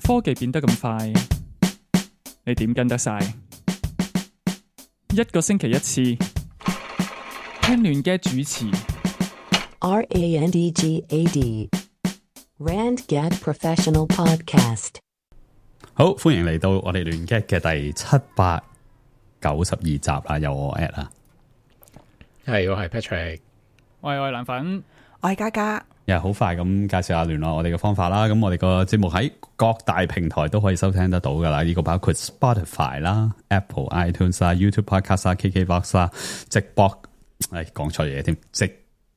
科技變得咁快，你點跟得晒？一個星期一次，聽亂嘅主持。RANDGAD RandGad Professional Podcast。好，歡迎嚟到我哋亂 get 嘅第792集啦，有我 at 啦，係我係 Patrick，我係藍粉，我係嘉嘉。又好快咁介紹下聯絡我哋嘅方法啦。咁我哋個節目喺各大平台都可以收聽得到噶啦，呢個包括 Spotify 啦、Apple iTunes 啦、YouTube Podcast 啦、KKBox 啦，直播講錯嘢添，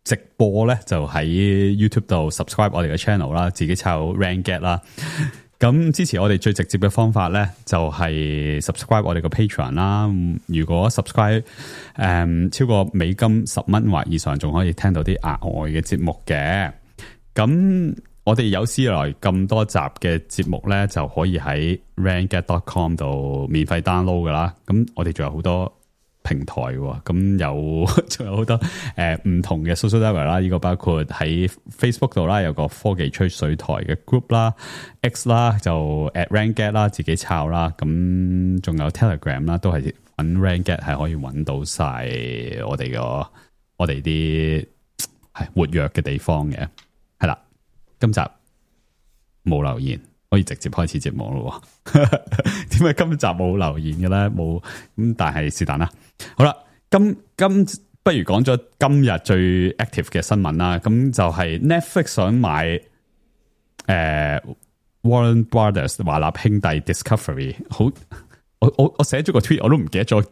直播咧就喺 YouTube 度 subscribe 我哋嘅 channel 啦，自己抄 RandGad 啦。咁支持我哋最直接嘅方法咧，就係 subscribe 我哋個 Patreon 啦。如果 subscribe 超過美金10蚊或以上，仲可以聽到啲額外嘅節目嘅。咁我哋有史以來咁多集嘅節目咧，就可以喺 randgad.com 度免費 download 噶啦。咁我哋仲有好多平台喎，咁仲有好多唔同嘅 social network 啦，呢個包括喺 Facebook 度啦，有個科技吹水台嘅 group 啦 ，X 啦就 @RandGad 啦，自己抄啦，咁仲有 Telegram 啦，都係揾 RandGad 係可以揾到晒我哋啲係活躍嘅地方嘅，係啦，今集冇留言。可以直接開始節目咯，點解今集冇留言嘅咧？冇咁，但係是但啦。好啦，今不如講咗今日最 active 嘅新聞啦。咁就係 Netflix 想買Warner Brothers 華納兄弟 Discovery。好，我寫咗個 tweet，我都唔記得咗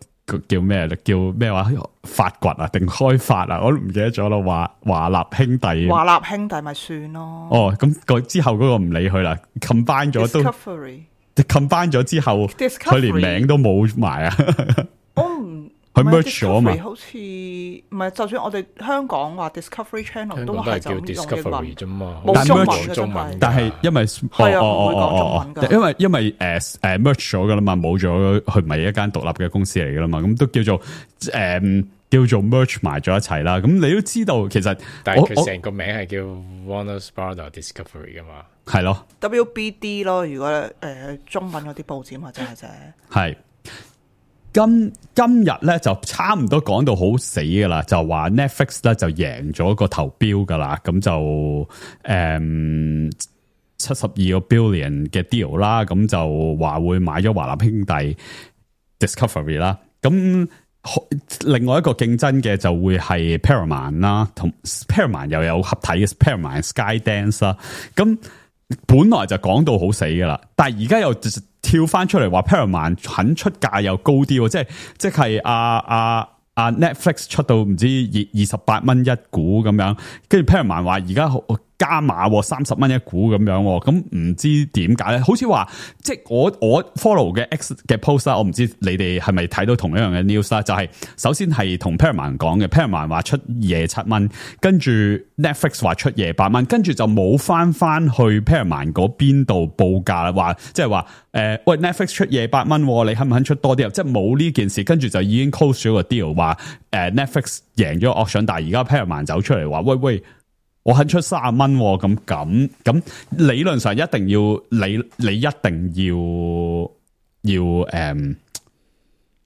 叫咩啦，叫咩話發掘啊定開發啊，我都唔記得咗啦。華納兄弟，華納兄弟咪算咯。哦，咁之後嗰個唔理佢啦 ，combine 咗都 combine 咗之後，佢連名都冇埋啊。我唔佢 merge 咗嘛？好似唔係，就算我哋香港話 Discovery Channel 都係叫 Discovery 啫嘛，冇中文嘅中文。但係因為係啊，唔會講中文㗎。因為merge 咗噶啦嘛，冇咗佢唔係一間獨立嘅公司嚟噶啦嘛，咁都叫做 merge 埋咗一齊啦。咁你都知道其實，但係佢成個名係叫 Warner Brothers Discovery 噶嘛，係咯 WBD 咯。如果中文嗰啲報紙或者係啫，係。今日咧就差唔多講到好死噶啦，就話 Netflix 咧就贏咗個投標噶啦，咁就72個 billion 嘅 deal 啦，咁就話會買咗華納兄弟 Discovery 啦，咁另外一個競爭嘅就會係 Paramount 啦，同 Paramount 又有合體嘅 Paramount Skydance 啦，咁本來就講到好死噶啦，但係而家又跳翻出嚟話 Paramount 肯出價又高啲，即係Netflix 出到唔知28蚊一股咁樣，跟住 Paramount 話而家加碼30蚊一股咁樣，咁唔知點解咧？好似話即係我 follow 嘅 X 嘅 post 啦，我唔知你哋係咪睇到同一樣嘅 news 啦？就係首先係同 Paramount 講嘅 ，Paramount 話出27蚊，跟住 Netflix 話出28蚊，跟住就冇翻去 Paramount 嗰邊度報價啦，話即係話喂 Netflix 出28蚊，你肯唔肯出多啲？即係冇呢件事，跟住就已經 close 咗個 deal， 話Netflix 贏咗 auction， 但係而家 Paramount 走出嚟話喂。我肯出30蚊，咁理論上一定要你一定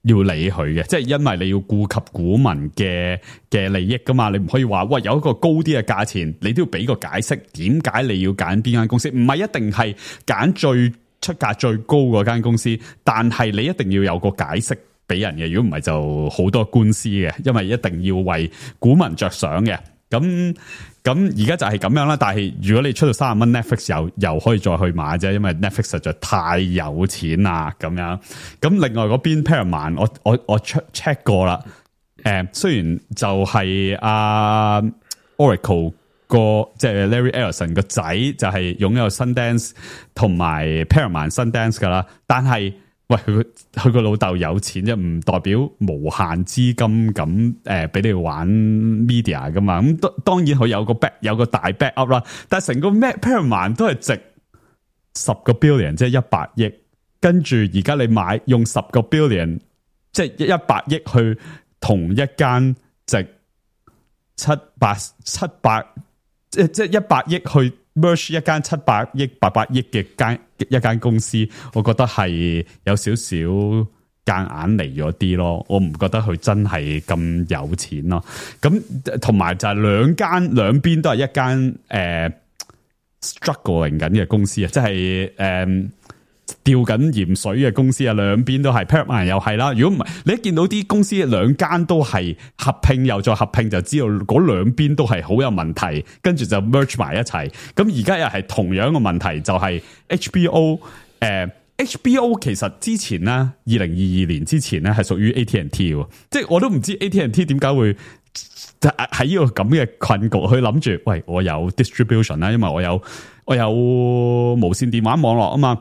要理佢嘅，即係因為你要顧及股民嘅利益噶嘛，你唔可以話喂有一個高啲嘅價錢，你都要俾個解釋，點解你要揀邊間公司？唔係一定係揀最出價最高嗰間公司，但係你一定要有個解釋俾人嘅，如果唔係就好多官司嘅，因為一定要為股民着想嘅，咁而家就係咁樣啦，但係如果你出到30蚊 ，Netflix 又可以再去買啫，因為 Netflix 實在太有錢啦，咁樣。咁另外嗰邊 Paramount， 我 check 過啦，雖然就係Oracle 個即係 Larry Ellison 個仔就係擁有 Sundance 同埋 Paramount Sundance 噶啦，但係喂佢個老豆有錢啫，唔代表無限資金咁俾你玩 media 噶嘛。咁當然佢有個大 backup 啦，但係成個 Paramount 都係值10個 billion， 即係100億。跟住而家你買用10個 billion， 即係100億去同一間值700，即係100億去 merge 一間700億、800億嘅一間公司，我覺得係有少少夾硬嚟咗啲咯。我唔覺得佢真係咁有錢咯。咁同埋就係兩邊都係一間struggling 緊嘅公司啊，即係吊緊鹽水嘅公司啊，兩邊都係 Paramount 又係啦。如果唔係，你一見到啲公司兩間都係合併又再合併，就知道嗰兩邊都係好有問題，跟住就 merge 埋一齊。咁而家又係同樣嘅問題，就係 HBO。HBO 其實之前咧，2022年之前咧係屬於 AT&T 喎，即係我都唔知 AT&T 點解會喺呢個咁嘅困局，去諗住，喂，我有 distribution 啦，因為我有無線電話網絡啊嘛。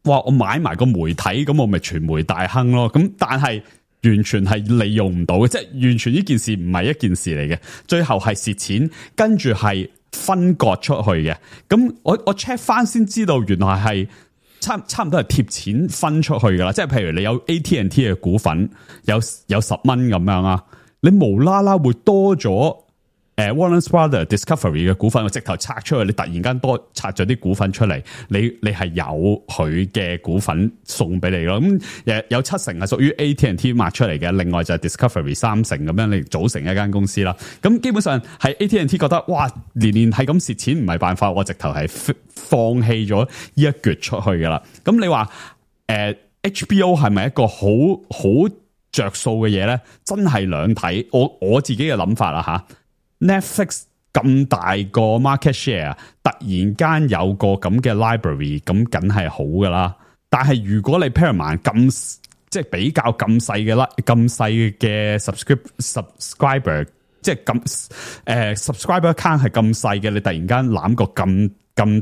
哇！我買埋個媒體，咁我咪傳媒大亨咯。咁但係完全係利用唔到嘅，即係完全呢件事唔係一件事嚟嘅。最後係蝕錢，跟住係分割出去嘅。咁我 check 翻先知道，原來係差唔多係貼錢分出去噶啦。即係譬如你有 AT&T 嘅股份，有10蚊咁樣啊，你無啦啦會多咗。Warner Brothers Discovery 嘅股份，我直頭拆出去，你突然間多拆咗啲股份出嚟，你係有佢嘅股份送俾你咯。咁有70%係屬於 AT&T 賣出嚟嘅，另外就係 Discovery 30%咁樣，你組成一間公司啦。咁基本上係 AT&T 覺得，哇，年係咁蝕錢唔係辦法，我直頭係放棄咗呢一橛出去噶啦。咁你話HBO 係咪一個好着數嘅嘢咧？真係兩睇，我自己嘅諗法啦吓。Netflix 咁大個 market share， 突然間有個咁嘅 library， 咁梗係好噶啦。但係如果你 Paramount 咁即係比較咁細嘅啦，咁細嘅 subscriber， 即係咁subscriber count 係咁細嘅，你突然間攬個咁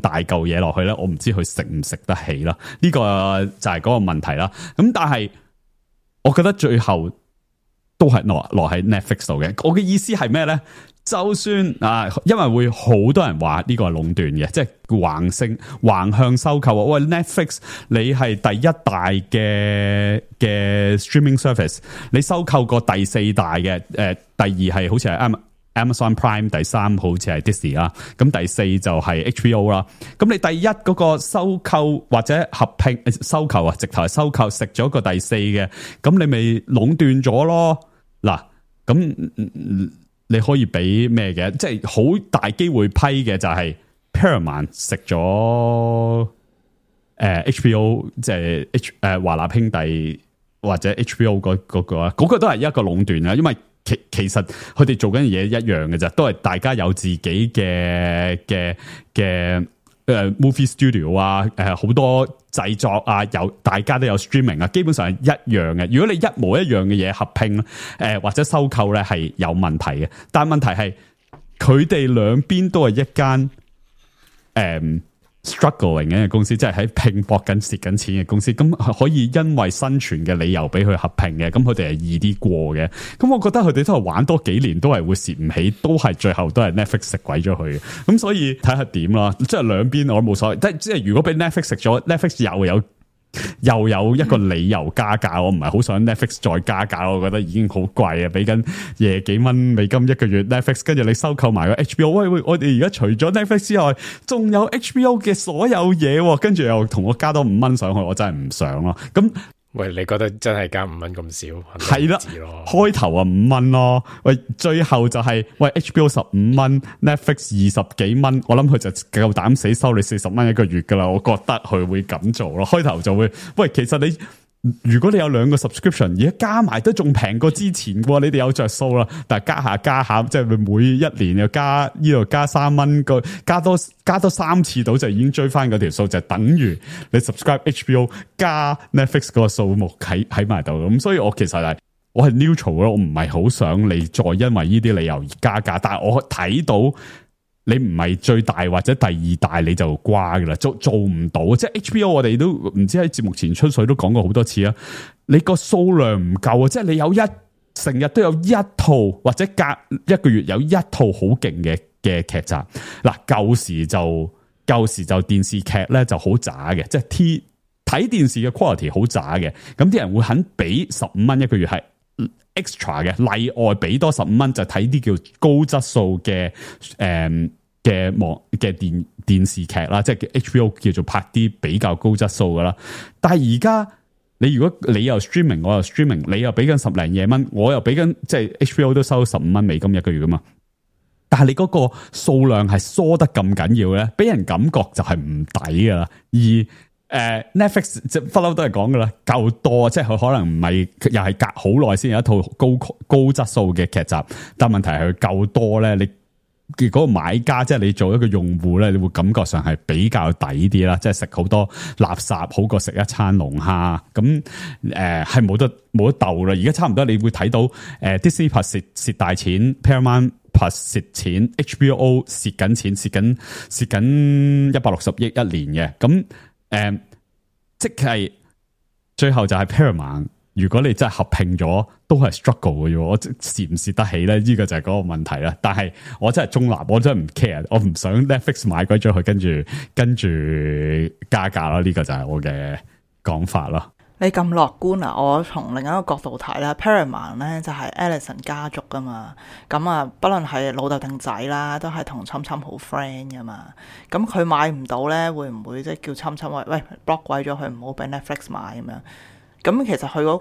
大嚿嘢落去咧，我唔知佢食唔食得起啦。呢個就係嗰個問題啦。咁但係我覺得最後都係落喺 Netflix 度嘅。我嘅意思係咩咧？就算因為會好多人話呢個係壟斷嘅，即係橫向收購。喂 ，Netflix 你係第一大嘅 streaming service， 你收購過第4大嘅，第2係好似係 Amazon Prime， 第3好似係 Disney 啦，咁第4就係 HBO 啦。咁你第一嗰個收購或者合併收購啊，直頭係收購食咗個第4嘅，咁你咪壟斷咗咯。嗱，咁你可以俾咩嘅？即係好大機會批嘅就係 Paramount 食咗HBO， 即係華納兄弟或者 HBO 嗰個都係一個壟斷啊。因為其實佢哋做緊嘢一樣嘅啫，都係大家有自己嘅movie studio 啊，好多製作啊，大家都有 streaming 啊，基本上係一樣嘅。如果你一模一樣嘅嘢合併或者收購咧，係有問題嘅。但係問題係佢哋兩邊都係一間struggling 嘅公司，即係喺拼搏緊蝕緊錢嘅公司，咁可以因為生存嘅理由俾佢合併嘅，咁佢哋係易啲過嘅。咁我覺得佢哋都係玩多幾年都係會蝕唔起，都係最後都係 Netflix 食鬼咗佢嘅。咁所以睇下點啦，即係兩邊我都冇所謂。即係如果俾 Netflix 食咗 ，Netflix 又有一個理由加價，我唔係好想 Netflix 再加價，我覺得已經好貴啊，俾緊$幾美金一個月 Netflix， 跟住你收購埋個 HBO， 喂，我哋而家除咗 Netflix 之外，仲有 HBO 嘅所有嘢，跟住又同我加多5蚊上去，我真係唔想咯。咁喂，你覺得真係加5蚊咁少？係啦，開頭5蚊咯，喂，最後就係喂 HBO 15蚊 ，Netflix 20幾蚊，我諗佢就夠膽死收你40蚊一個月噶啦，我覺得佢會咁做咯。開頭就會，喂，其實如果你有2個 subscription， 而家加埋都仲平過之前嘅，你哋有着數啦。但係加下，即係每1年又加呢度加3蚊，加多3次到就已經追翻嗰條數，就等於你 subscribe HBO 加 Netflix 嗰個數目喺埋度。咁所以我其實我係 neutral 咯，我唔係好想你再因為呢啲理由而加價，但係我睇到。你唔係最大或者第2大你就瓜噶啦，做唔到。即係 HBO 我哋都唔知喺節目前出水都講過好多次啊。你個數量唔夠啊，即係你有成日都有1套或者隔1個月有1套好勁嘅劇集。嗱，舊時就電視劇咧就好渣嘅，即係睇電視嘅 quality 好渣嘅。咁啲人會肯俾15蚊一個月係 extra 嘅，例外俾多15蚊就睇啲叫高質素嘅嘅電視劇啦，即係 HBO 叫做拍啲比較高質素噶啦。但係而家如果你又 streaming， 我又 streaming， 你又俾緊10零嘢蚊，我又俾緊，即係 HBO 都收15蚊美金一個月噶嘛。但係你嗰個數量係疏得咁緊要咧，俾人感覺就係唔抵噶啦。而Netflix 即係不嬲都係講噶啦，夠多，即係佢可能唔係又係隔好耐先有一套高質素嘅劇集，但問題係佢夠多咧，你嗰個買家即係你做一個用戶咧，你會感覺上係比較抵啲啦，即係食好多垃圾好過食一餐龍蝦，咁係冇得鬥啦。而家差唔多你會睇到Disney Plus 蝕大錢 ，Paramount Plus 蝕錢 ，HBO 蝕緊錢，蝕緊160億一年嘅，咁即係最後就係 Paramount。如果你真係合併咗，都係 struggle 嘅啫。我蝕唔蝕得起咧？呢個就係嗰個問題啦。但係我真係中立，我真係唔 care，我唔想 Netflix 買鬼咗佢，跟住加價咯。呢個就係我嘅講法咯。你咁樂觀啊！我從另一個角度睇啦 Paramount 咧就係 Ellison 家族噶嘛，咁啊，不論係老豆定仔啦，都係同侵侵好 friend 噶嘛。咁佢買唔到咧，會唔會即係叫侵侵話喂 block 鬼咗佢，唔好俾 Netflix 買咁樣？咁其實佢嗰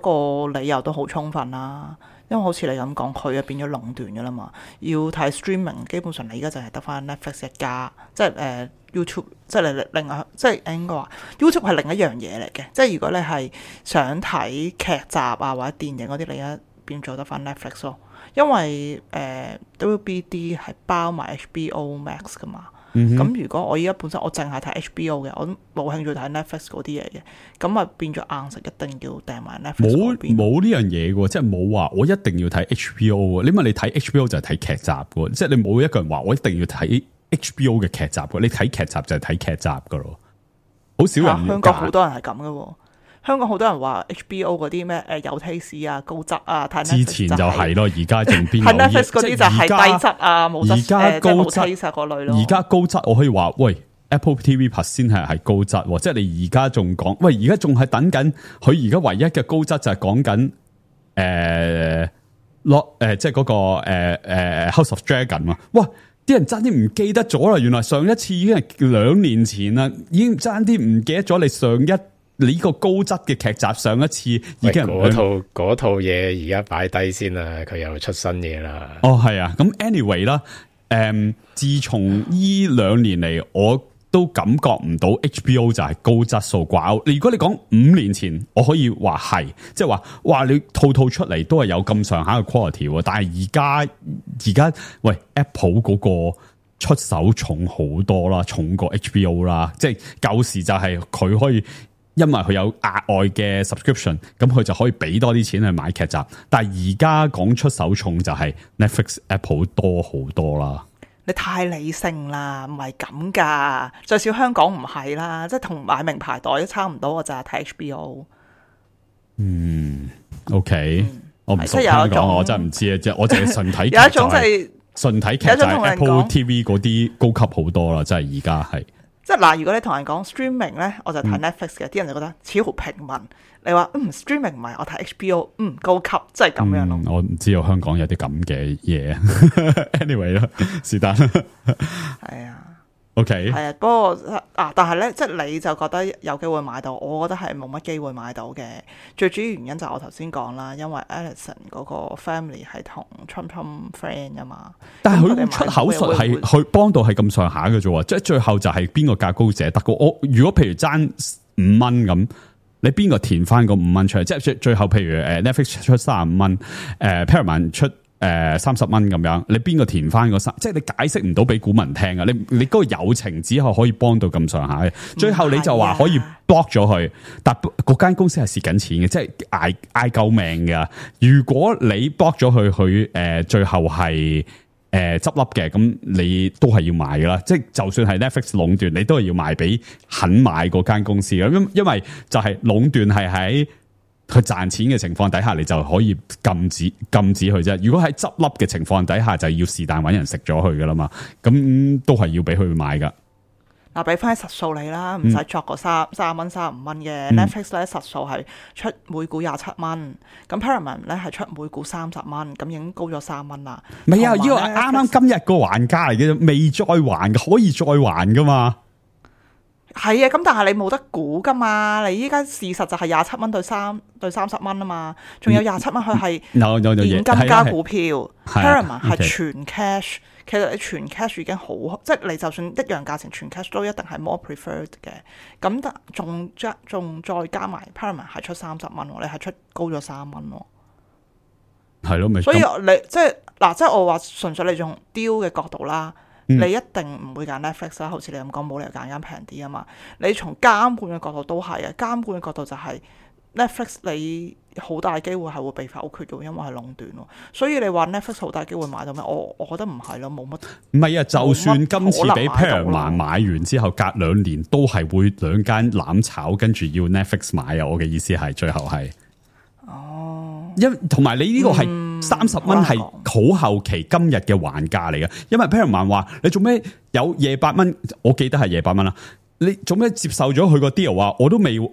個理由都好充分啦，因為好似你咁講，佢變咗壟斷噶啦嘛。要睇 streaming， 基本上你而家就係得翻 Netflix 一家，即係YouTube， 即係你另外，即係應該話 YouTube 係另一樣嘢嚟嘅。即係如果你係想睇劇集啊或者電影嗰啲，你而家變咗得翻 Netflix 咯。因為WBD 係包埋 HBO Max 噶嘛。咁如果我依家本身我淨係睇 HBO 嘅，我都冇興趣睇 Netflix 嗰啲嘢嘅，咁啊變咗硬食一定要訂埋 Netflix 嗰邊。冇呢樣嘢嘅，即係冇話我一定要睇 HBO。因為你睇 HBO 就係睇劇集嘅，即係你冇一個人話我一定要睇 HBO 嘅劇集嘅。你睇劇集就係睇劇集噶咯，好少人。香港好多人係咁嘅。香港好多人話 HBO 嗰啲咩有 taste 啊、高質啊，睇 Netflix 之前就係咯，而家仲邊有？睇 Netflix 嗰啲就係低質啊、冇質，而家高質嗰類咯。而家高質我可以話，喂 Apple TV Plus 先係高質，即係你而家仲講，喂而家仲係等緊，佢而家唯一嘅高質就係講緊即係嗰個House of Dragon 啊！哇，啲人爭啲唔記得咗啦，原來上一次已經係2年前啦，已經爭啲唔記得咗你呢個高質嘅劇集上一次已經嗰套嘢而家擺低先啦，佢又出新嘢啦。哦，係啊，咁 anyway 啦，自從呢2年嚟，我都感覺唔到 HBO 就係高質素掛鈎。如果你講5年前，我可以話係，即係話哇，你套出嚟都係有咁上下嘅 quality， 但係而家喂 Apple 嗰個出手重好多啦，重過 HBO 啦，即係舊時就係佢可以。因為佢有額外嘅 subscription， 咁佢就可以俾多啲錢去買劇集。但係而家講出手重就係 Netflix、Apple 多好多啦。你太理性啦，唔係咁噶。最少香港唔係啦，即係同買名牌袋都差唔多。我就係睇 HBO。OK，我唔熟香港，我真係唔知啊。即係我淨係純睇劇，有一種就係純睇劇就係 Apple TV 嗰啲高級好多啦，真係而家係。即係嗱，如果你同人講 streaming 咧，我就睇 Netflix 嘅，啲人就覺得似好平民。你話streaming 唔係，我睇 HBO，高級，即係咁樣咯。我唔知道香港有啲咁嘅嘢。anyway 啦，是但。係啊。OK。係啊，不過但係咧，即係你就覺得有機會買到，我覺得係冇乜機會買到嘅。最主要原因就係我頭先講啦，因為 Ellison 嗰個 family 係同 Trump friend 啊嘛。但係佢出口術係佢幫到係咁上下嘅啫，即係最後就係邊個價高者得嘅。我如果譬如爭5蚊咁，你邊個填翻個5蚊出嚟？即係最後譬如Netflix 出35蚊，Paramount 出30蚊咁樣，你邊個填翻個3？即係你解釋唔到俾股民聽啊！你嗰個友情只係可以幫到咁上下嘅，最後你就話可以 block 咗佢，但嗰間公司係蝕緊錢嘅，即係嗌救命㗎。如果你 block 咗佢最後係執笠嘅，咁你都係要賣噶啦。即係就算係 Netflix 壟斷，你都係要賣俾肯買嗰間公司嘅。因為就係壟斷係喺佢賺錢嘅情況底下，你就可以禁止佢啫。如果喺執笠嘅情況底下，就要是但搵人食咗佢噶啦嘛。咁都係要俾佢買噶。嗱，俾翻啲實數你啦，唔使作個30蚊、35蚊嘅 Netflix 咧，實數係出每股27蚊，咁 Paramount 咧係出每股30蚊，咁已經高咗3蚊啦。唔係啊，呢個啱啱今日個還價嚟嘅，未再還嘅，可以再還噶嘛？係啊，咁但係你冇得估噶嘛？你依家事實就係27蚊對30蚊啊嘛，仲有27蚊佢係現金加股票 ，Paramount 係全 cash。其實你全 cash 已經好，即係你就算一樣價錢全 cash 都一定係 more preferred 嘅。咁但仲再加埋 Paramount 係出30蚊，你係出高咗3蚊喎。係咯，所以你即係嗱，即係我話純粹你從 deal 嘅角度啦，你一定唔會揀 Netflix 啦。好似你咁講，冇理由揀間平啲啊嘛。你從監管嘅角度都係啊，監管嘅角度就係 Netflix 你好大機會係會被否決嘅，因為係壟斷咯。所以你話 Netflix 好大機會買到咩？我覺得唔係咯，冇乜。唔係啊，就算今次俾 Paramount 買完之後，隔2年都係會2間攬炒，跟住要 Netflix 買啊！我嘅意思係最後係。哦，同埋你呢個係30蚊係好後期今日嘅還價嚟嘅，因為 Paramount 話你做咩有28蚊？我記得係28蚊啦。你做咩接受咗佢個 deal 啊？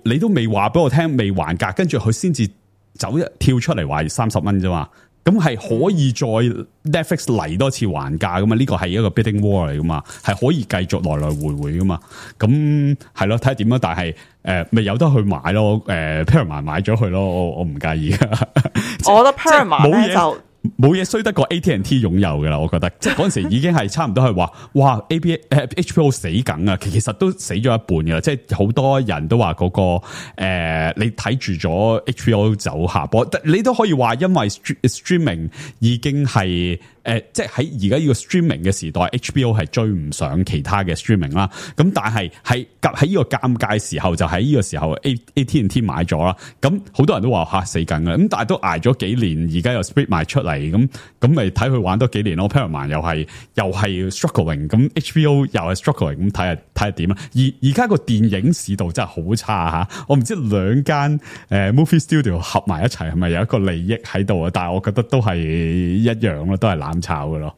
你都未話俾我聽，未還價，跟住佢先至跳出嚟話30蚊啫嘛。咁係可以再 Netflix 嚟多次還價噶嘛？呢個係一個 bidding war 嚟噶嘛，係可以繼續來來回回噶嘛。咁係咯，睇下點咯。但係咪有得去買咯？Paramount 買咗佢咯，我唔介意噶。我覺得 Paramount 咧就。冇嘢衰得過 AT&T 擁有噶啦，我覺得即係嗰陣時已經係差唔多係話，哇 HBO 死梗啊，其實都死咗一半噶啦，即係好多人都話嗰個你睇住咗 HBO 走下坡，你都可以話因為 streaming 已經係即係喺而家呢個 streaming 嘅時代 ，HBO 係追唔上其他嘅 streaming 啦。咁但係喺呢個尷尬時候，就喺呢個時候 AT&T 買咗啦。咁好多人都話死緊噶，咁但係都捱咗幾年，而家又 split 賣出嚟，咁咪睇佢玩多幾年咯。Paramount 又係 struggling， 咁 HBO 又係 struggling， 咁睇下點啦。而家個電影市道真係好差吓，我唔知2間movie studio 合埋一齊係咪有一個利益喺度啊？但係我覺得都係一樣咯，都係攬炒嘅咯。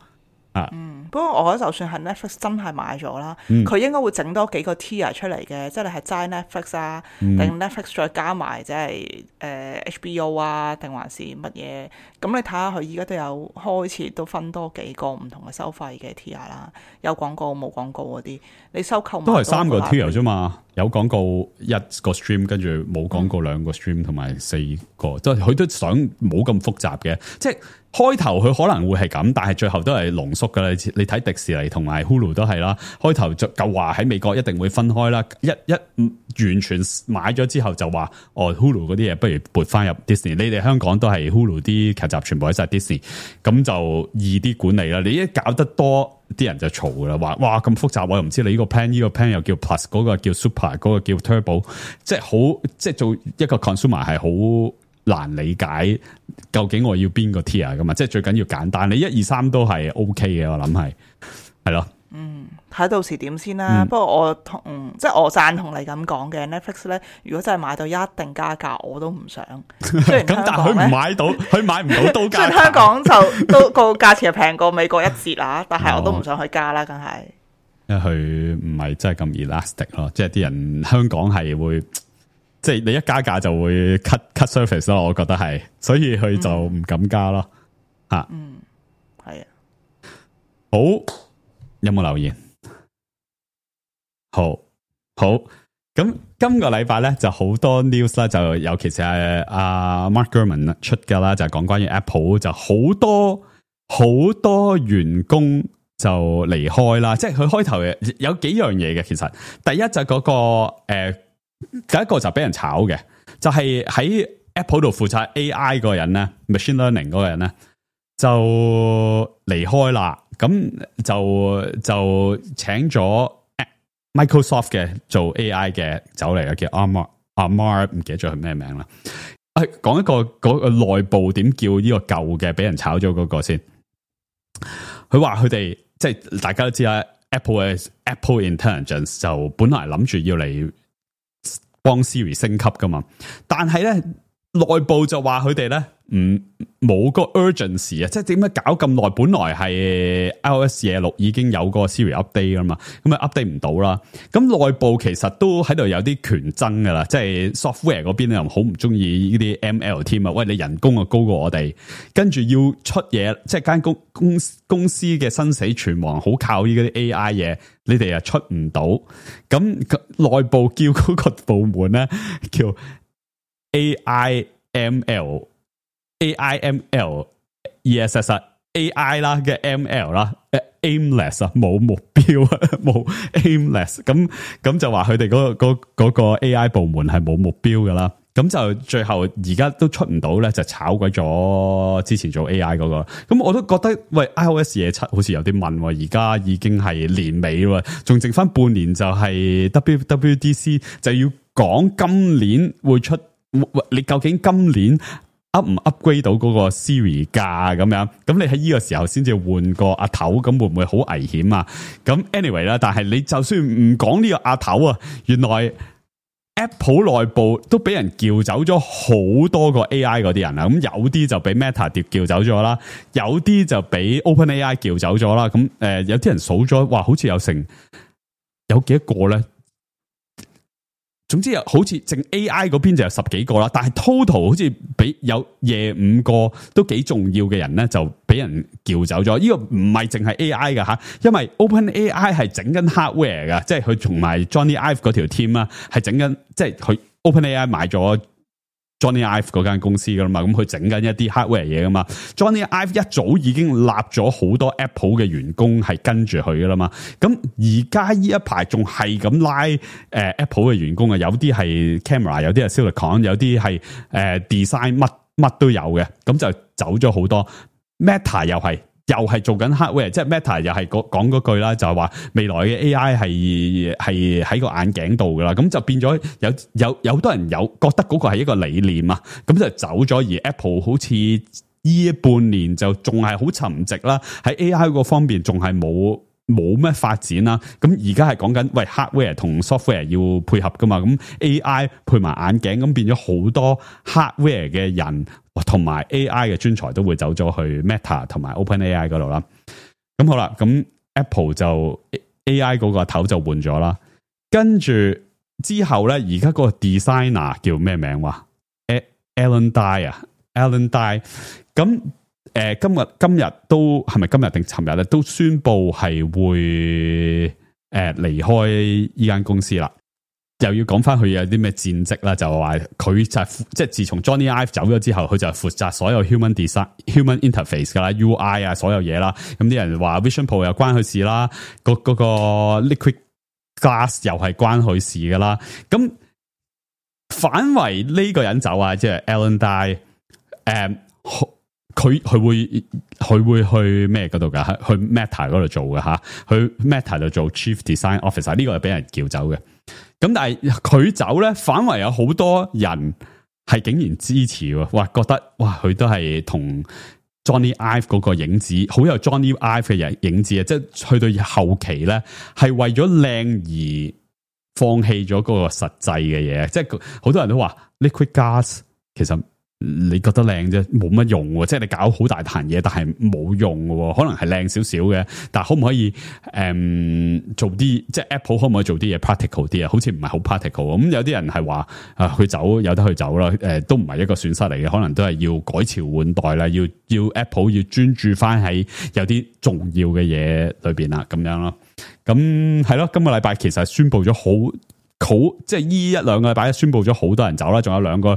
不過我覺得就算係 Netflix 真係買咗啦，佢應該會整多幾個 tier 出嚟嘅，即係你係齋 Netflix 啊，定 Netflix 再加埋即係HBO 啊，定還是乜嘢？咁你睇下佢依家都有開始都分多幾個唔同嘅收費嘅 tier 啦，有廣告冇廣告嗰啲，你收購都係3個 tier 啫嘛，有廣告1個 stream， 跟住冇廣告2個 stream， 同埋4個，即係佢都想冇咁複雜嘅，即係。開頭佢可能會係咁，但係最後都係濃縮噶啦。你睇迪士尼同埋 Hulu 都係啦。開頭就話喺美國一定會分開啦，一完全買咗之後就話Hulu 嗰啲嘢不如撥翻入 Disney。你哋香港都係 Hulu 啲劇集全部喺晒 Disney， 咁就易啲管理啦。你一搞得多，啲人就嘈噶啦，話哇咁複雜，我又唔知你呢個 plan 又叫 Plus， 嗰個叫 Super， 嗰個叫 Turbo， 即係做一個 consumer 係好難理解究竟我要邊個 tier 噶嘛？即係最緊要簡單，你1、2、3都係 OK 嘅，我諗係咯。睇到時點先啦。不過我即係我贊同你咁講嘅 Netflix 咧，如果真係買到一定加價，我都唔想。雖然香港咧，咁但係佢唔買到，佢買唔到都加價。雖然香港就都個價錢係平過美國1折啦，但係我都唔想去加啦，梗係。因為佢唔係真係咁 elastic 咯，即係啲人香港係會。即係你一加價就會 cut service 咯，我覺得係，所以佢就唔敢加咯。係啊。好，有冇留言？好，咁今個禮拜咧就好多 news 啦，就尤其是係阿 Mark Gurman 出噶啦，就係講關於 Apple 就好多員工就離開啦。即係佢開頭有幾樣嘢嘅，其實第一就係嗰個第一個就俾人炒嘅，就係喺 Apple 度負責 AI 嗰個人咧 ，machine learning 嗰個人咧就離開啦。咁就請咗 Microsoft 嘅做 AI 嘅走嚟嘅，叫 Amar 唔記得咗佢咩名啦。講一個嗰個內部點叫呢個舊嘅俾人炒咗嗰個先。佢話佢哋即係大家都知啦 ，Apple Intelligence 就本來諗住要嚟幫 Siri 升級噶嘛，但係咧內部就話佢哋咧冇個 urgency 啊，即係點解搞咁耐？本來係 iOS 26已經有個 Siri update 噶嘛，咁啊 update 唔到啦。咁內部其實都喺度有啲權爭噶啦，即係 software 嗰邊又好唔中意呢啲 ML team 啊，喂，你人工啊高過我哋，跟住要出嘢，即係間公司嘅生死存亡好靠呢啲 AI 嘢，你哋又出唔到，咁內部叫嗰個部門咧叫 AIML ESS AI 啦嘅 ML 啦 aimless 啊，冇目標啊，冇 aimless， 咁就話佢哋嗰個 AI 部門係冇目標噶啦，咁就最後而家都出唔到咧，就炒鬼咗之前做 AI 嗰個，咁我都覺得喂 iOS 27好似有啲問，而家已經係年尾喎，仲剩翻半年就係 WWDC， 就要講今年會出。你究竟今年 up 唔 upgrade 到嗰個 Siri 價咁樣？咁你喺呢個時候先至換個阿頭，咁會唔會好危險啊？咁 anyway 啦，但係你就算唔講呢個阿頭啊，原來 Apple 內部都俾人撬走咗好多個 AI 嗰啲人啊！咁有啲就俾 Meta 撬走咗啦，有啲就俾 OpenAI 撬走咗啦。咁有啲人數咗，哇，好似有幾多個咧？總之好似淨 AI 嗰邊就有10幾個啦，但係 total 好似俾有25個都幾重要嘅人咧，就俾人撬走咗。呢個唔係淨係 AI 噶吓，因為 OpenAI 係整緊 hardware 噶，即係佢同埋 Johnny Ive 嗰條 team 啊，係整緊，即係佢 OpenAI 買咗 Johnny Ive 嗰間公司噶啦嘛，咁佢整緊一啲 hardware 嘢噶嘛。Johnny Ive 一早已經立咗好多 Apple 嘅員工係跟住佢噶啦嘛。咁而家呢一排仲係咁拉Apple 嘅員工啊，有啲係 camera， 有啲係 silicon， 有啲係design， 乜都有嘅。咁就走咗好多。Meta 又係做緊 hardware， 即係 Meta 又係講嗰句啦，就係話未來嘅 AI 係喺個眼鏡度噶啦，咁就變咗有好多人有覺得嗰個係一個理念啊，咁就走咗，而 Apple 好似呢半年就仲係好沉寂啦，喺 AI 嗰方面仲係冇咩發展啦，咁而家係講緊喂 hardware 同 software 要配合噶嘛，咁 AI 配埋眼鏡，咁變咗好多 hardware 嘅人同埋 AI 嘅專才都會走咗去 Meta 同埋 OpenAI 嗰度啦。咁好啦，咁 Apple 就 AI 嗰個頭就換咗啦，跟住之後咧，而家嗰個 designer 叫咩名話 Alan Dye 咁。今日都係咪今日定尋日咧？都宣布係會離開呢間公司啦。又要講翻佢有啲咩戰績啦，就話佢就即係自從 Johnny Ive 走咗之後，佢就負責所有 human design、human interface 噶啦 ，UI 啊，所有嘢啦。咁啲人話 Vision Pro 又關佢事啦，嗰個 Liquid Glass 又係關佢事噶啦。咁反為呢個人走啊，即係 Alan Dye，佢會去咩嗰度噶？去 Meta 嗰度做嘅吓，去 Meta 度做 Chief Design Officer， 呢個係俾人叫走嘅。咁但係佢走咧，反為有好多人係竟然支持，哇，覺得哇，佢都係同 Johnny Ive 嗰個影子，好有 Johnny Ive 嘅影子啊！即係去到後期咧，係為咗靚而放棄咗嗰個實際嘅嘢。即係好多人都話 Liquid Glass 其實。你覺得靚啫，冇乜用喎，即係你搞好大壇嘢，但係冇用嘅，可能係靚少少嘅，但係可唔可以做啲，即係 Apple 可唔可以做啲嘢 practical 啲啊？好似唔係好 practical 咁，有啲人係話佢走有得去走啦，都唔係一個損失嚟嘅，可能都係要改朝換代啦，要 Apple 要專注翻喺有啲重要嘅嘢裏邊啦，咁樣咯。咁係咯，今個禮拜其實宣布咗好，即係呢一兩個禮拜宣布咗好多人走啦，仲有兩個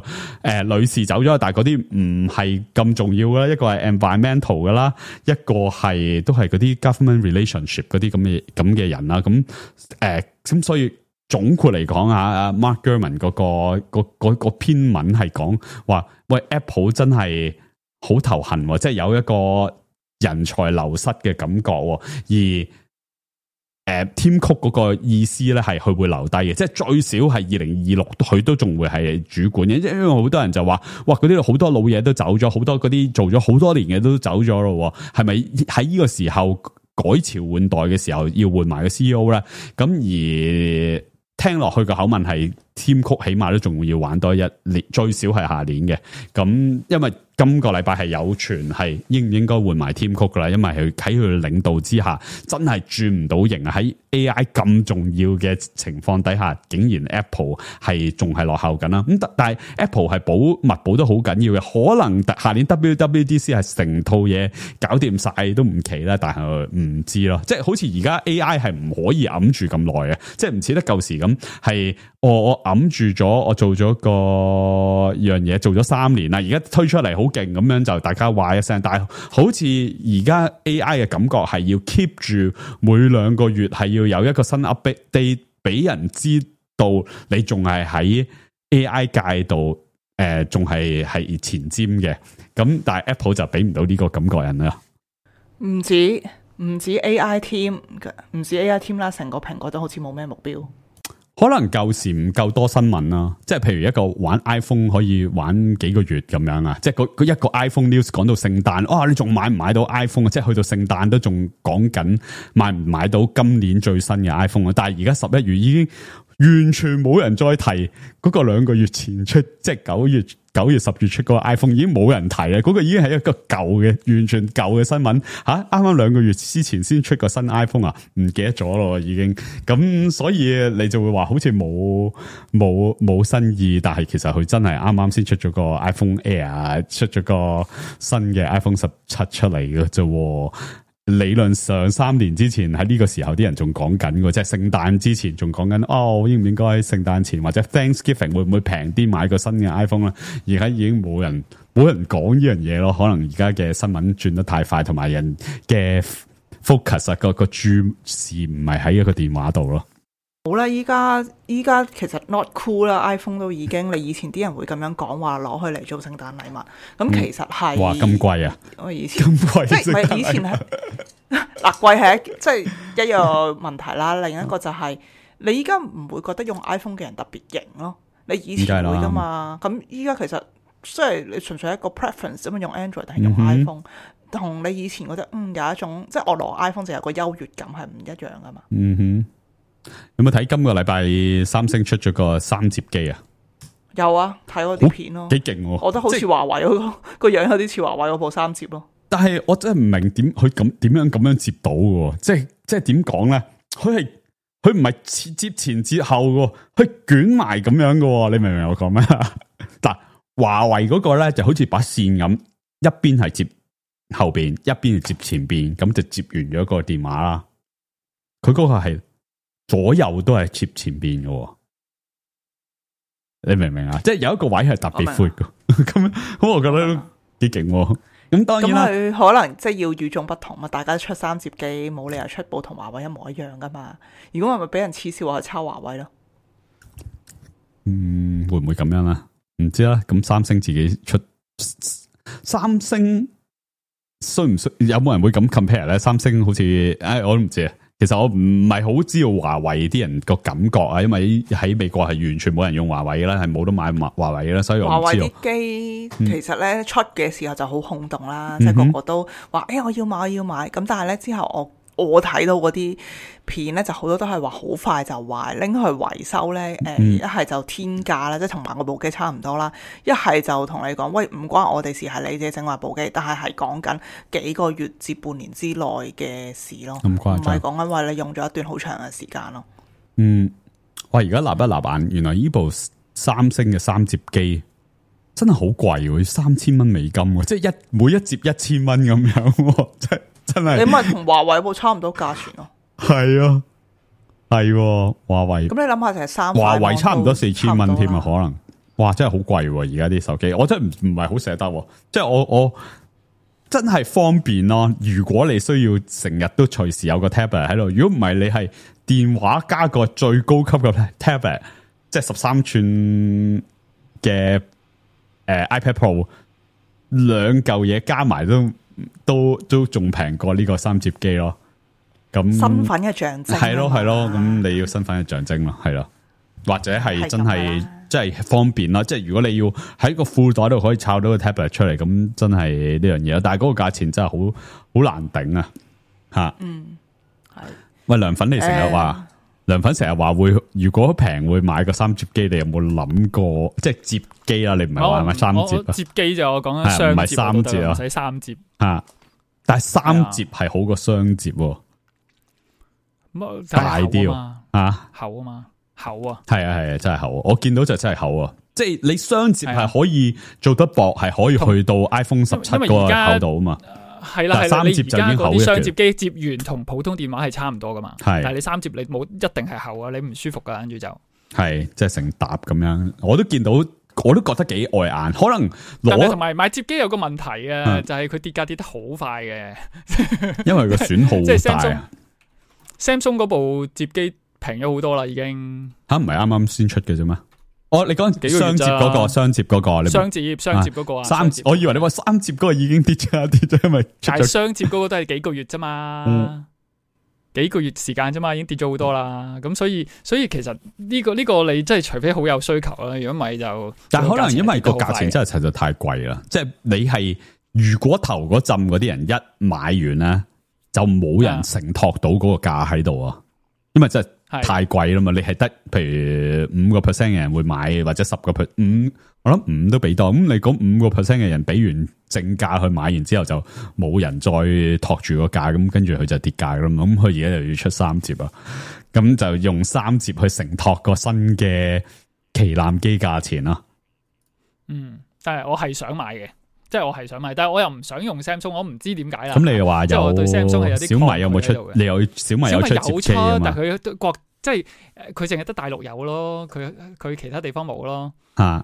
女士走咗，但係嗰啲唔係咁重要啦，一個係 environmental 噶啦，一個係都係嗰啲 government relationship 嗰啲咁嘅人啦，咁所以總括嚟講啊 ，Mark Gurman 嗰篇文係講話，喂 Apple 真係好頭痕，即係有一個人才流失嘅感覺，而Tim Cook 嗰個意思咧係佢會留低嘅，即係最少係2026佢都仲會係主管嘅，因為好多人就話，哇，嗰啲好多老嘢都走咗，好多嗰啲做咗好多年嘅都走咗咯，係咪喺呢個時候改朝換代嘅時候要換埋個 CEO 咧？咁而聽落去個口吻係 Tim Cook 起碼都仲要玩多一年，最少係下年嘅。咁因為今個禮拜係有傳係應唔應該換埋 Tim Cook 噶啦，因為佢喺佢領導之下真係轉唔到型啊！喺 AI 咁重要嘅情況底下，竟然 Apple 係仲係落後緊啦。咁但係 Apple 係保密保得好緊要嘅，可能下年 WWDC 係成套嘢搞掂晒都唔奇啦，但係唔知咯。即係好似而家 AI 係唔可以揞住咁耐嘅，即係唔似得舊時咁係我揞住咗，我做咗個樣嘢做咗3年啦，而家推出嚟好勁咁樣就大家話一聲，但係好似而家 AI 嘅感覺係要 keep 住每2個月係要有一個新 update 俾人知道你仲係喺 AI 界度仲係前瞻嘅，咁但係 Apple 就俾唔到呢個感覺人啦。唔止 AI team 唔止 AI team 啦，成個蘋果都好似冇咩目標。可能舊時唔夠多新聞啦，即係譬如一個玩 iPhone 可以玩幾個月咁樣啊，即係佢一個 iPhone news 講到聖誕，你仲買唔買到 iPhone 啊？即係去到聖誕都仲講緊買唔買到今年最新嘅 iPhone 啊！但係而家11月已經完全冇人再提嗰個2個月前出，即係9月、10月出嗰個 iPhone 已經冇人提啦，嗰個已經係一個舊嘅，完全舊嘅新聞吓。啱啱2個月之前先出個新 iPhone 啊，唔記得咗咯已經。咁所以你就會話好似冇新意，但係其實佢真係啱啱先出咗個 iPhone Air， 出咗個新嘅 iPhone 17出嚟嘅啫。理論上3年之前喺呢個時候啲人仲講緊嘅，即係聖誕之前仲講緊應唔應該聖誕前或者 Thanksgiving 會唔會平啲買個新嘅 iPhone 啦？而家已經冇人講呢樣嘢咯。可能而家嘅新聞轉得太快，同埋人嘅 focus 個注視唔係喺一個電話度咯。好啦，依家其實 not cool 啦 ，iPhone 都已經，你以前啲人會咁樣講話攞去嚟做聖誕禮物，咁其實係哇咁貴啊！我以前咁貴，即係唔係以前係嗱貴係即係一樣問題啦。另一個就係你依家唔會覺得用 iPhone 嘅人特別型咯，你以前會噶嘛？咁依家其實即係你純粹一個 preference 咁樣用 Android 定係用 iPhone，同你以前覺得有一種即係我攞 iPhone 就有個優越感係唔一樣噶嘛。有冇睇今個禮拜三星出咗個3摺機啊？有啊，睇嗰啲片咯，幾勁喎！我覺得好似華為嗰個樣有啲似華為嗰部3摺咯。但係我真係唔明點佢點樣咁樣摺到嘅，即係點講咧？佢唔係摺前摺後嘅，佢捲埋咁樣嘅，你明唔明我講咩？嗱，華為嗰個咧就好似把線咁，一邊係摺後邊，一邊係摺前邊，咁就摺完咗個電話啦。佢嗰個係左右都係摺前邊嘅，你明唔明啊？即係有一個位係特別闊嘅，咁我覺得幾勁。咁當然啦，佢可能即係要與眾不同嘛，大家出3摺機，冇理由出部同華為一模一樣噶嘛。如果係咪俾人恥笑話抄華為咯？會唔會咁樣啊？唔知啦。咁三星自己出，三星需唔需有冇人會咁 compare 咧？三星好似我都唔知啊。其實我唔係好知道華為啲人個感覺啊，因為喺美國係完全冇人用華為嘅啦，係冇得買華為嘅啦，所以我唔知道。華為啲機其實咧出嘅時候就好轟動啦，即係個個都話我要買，咁但係咧之後我睇到嗰啲片咧，就好多都係話好快就壞，拎去維修咧，一係就天價啦，即係同埋我部機差唔多啦，一係就同你講，喂，唔關我哋事，係你自己整壞部機，但係講緊幾個月至半年之內嘅事咯，唔係講緊話你用咗一段好長嘅時間咯。哇！而家立一立眼，原來呢部三星嘅3摺機真係好貴喎，3000蚊美金喎，即係每一摺1000蚊咁樣，真係你咪同華為部差唔多價錢咯。係啊，係華為。咁你諗下就係華為差唔多4000蚊添啊，可能哇真係好貴喎！而家啲手機，我真係唔係好捨得，即係我真係方便咯。如果你需要成日都隨時有個 tablet 喺度，如果唔係你係電話加個最高級嘅 tablet， 即係13寸嘅iPad Pro， 兩嚿嘢加埋都仲平過呢個3摺機咯。咁身份嘅象徵係咯，咁你要身份嘅象徵咯，係咯，或者係真係即係方便啦。即係如果你要喺個褲袋度可以抄到個 tablet 出嚟，咁真係呢樣嘢。但係嗰個價錢真係好難頂啊！吓，係。喂，涼粉你成日話涼粉成日話會，如果平會買個三摺機，你有冇諗過？即係摺機啦，你唔係話買三摺啊？摺機就我講緊雙摺，唔係三摺啊，唔使三摺啊！但係三摺係好過雙摺，大啲啊，厚啊嘛，厚啊，係啊，真係厚。我見到就真係厚啊！即係你雙摺係可以做得薄，係可以去到 iPhone 17個厚度啊嘛。係啦，三摺就已經厚一雙摺機摺完同普通電話係差唔多噶嘛。但係你三摺你冇一定係厚啊，你唔舒服噶，跟住就係即係成沓咁樣。我都見到，我都覺得幾礙眼。可能同埋買摺機有個問題啊，就係佢跌價跌得好快嘅，因為個損耗即係大啊。Samsung 嗰部摺機平咗好多啦，已經吓唔係啱啱先出嘅啫咩？你講雙摺嗰個，雙摺嗰個，你雙摺嗰個啊？三摺，我以為你話三摺嗰個已經跌咗，因為但係雙摺嗰個都係幾個月啫嘛，幾個月時間啫嘛，已經跌咗好多啦。咁所以其實呢個你真係除非好有需求啦，如果唔係就，但係可能因為個價錢真係實在太貴啦，即係你係如果頭嗰陣嗰啲人一買完咧，就冇人承托到嗰個價喺度啊，因為真係。太貴啦嘛，你係得譬如5% 嘅人會買，或者10%，我諗5都俾多。咁你嗰5% 嘅人俾完正價去買完之後，就冇人再托住個價，咁跟住佢就跌價啦嘛。咁佢而家就要出三摺啊，咁就用三摺去承托個新嘅旗艦機價錢啦。但係我係想買嘅。即係我係想買，但係我又唔想用 Samsung， 我唔知點解啦。咁你又話有，我對 Samsung 係有啲小米有冇出？你有小米有出摺機啊嘛？但係佢即係佢淨係得大陸有咯，佢其他地方冇咯。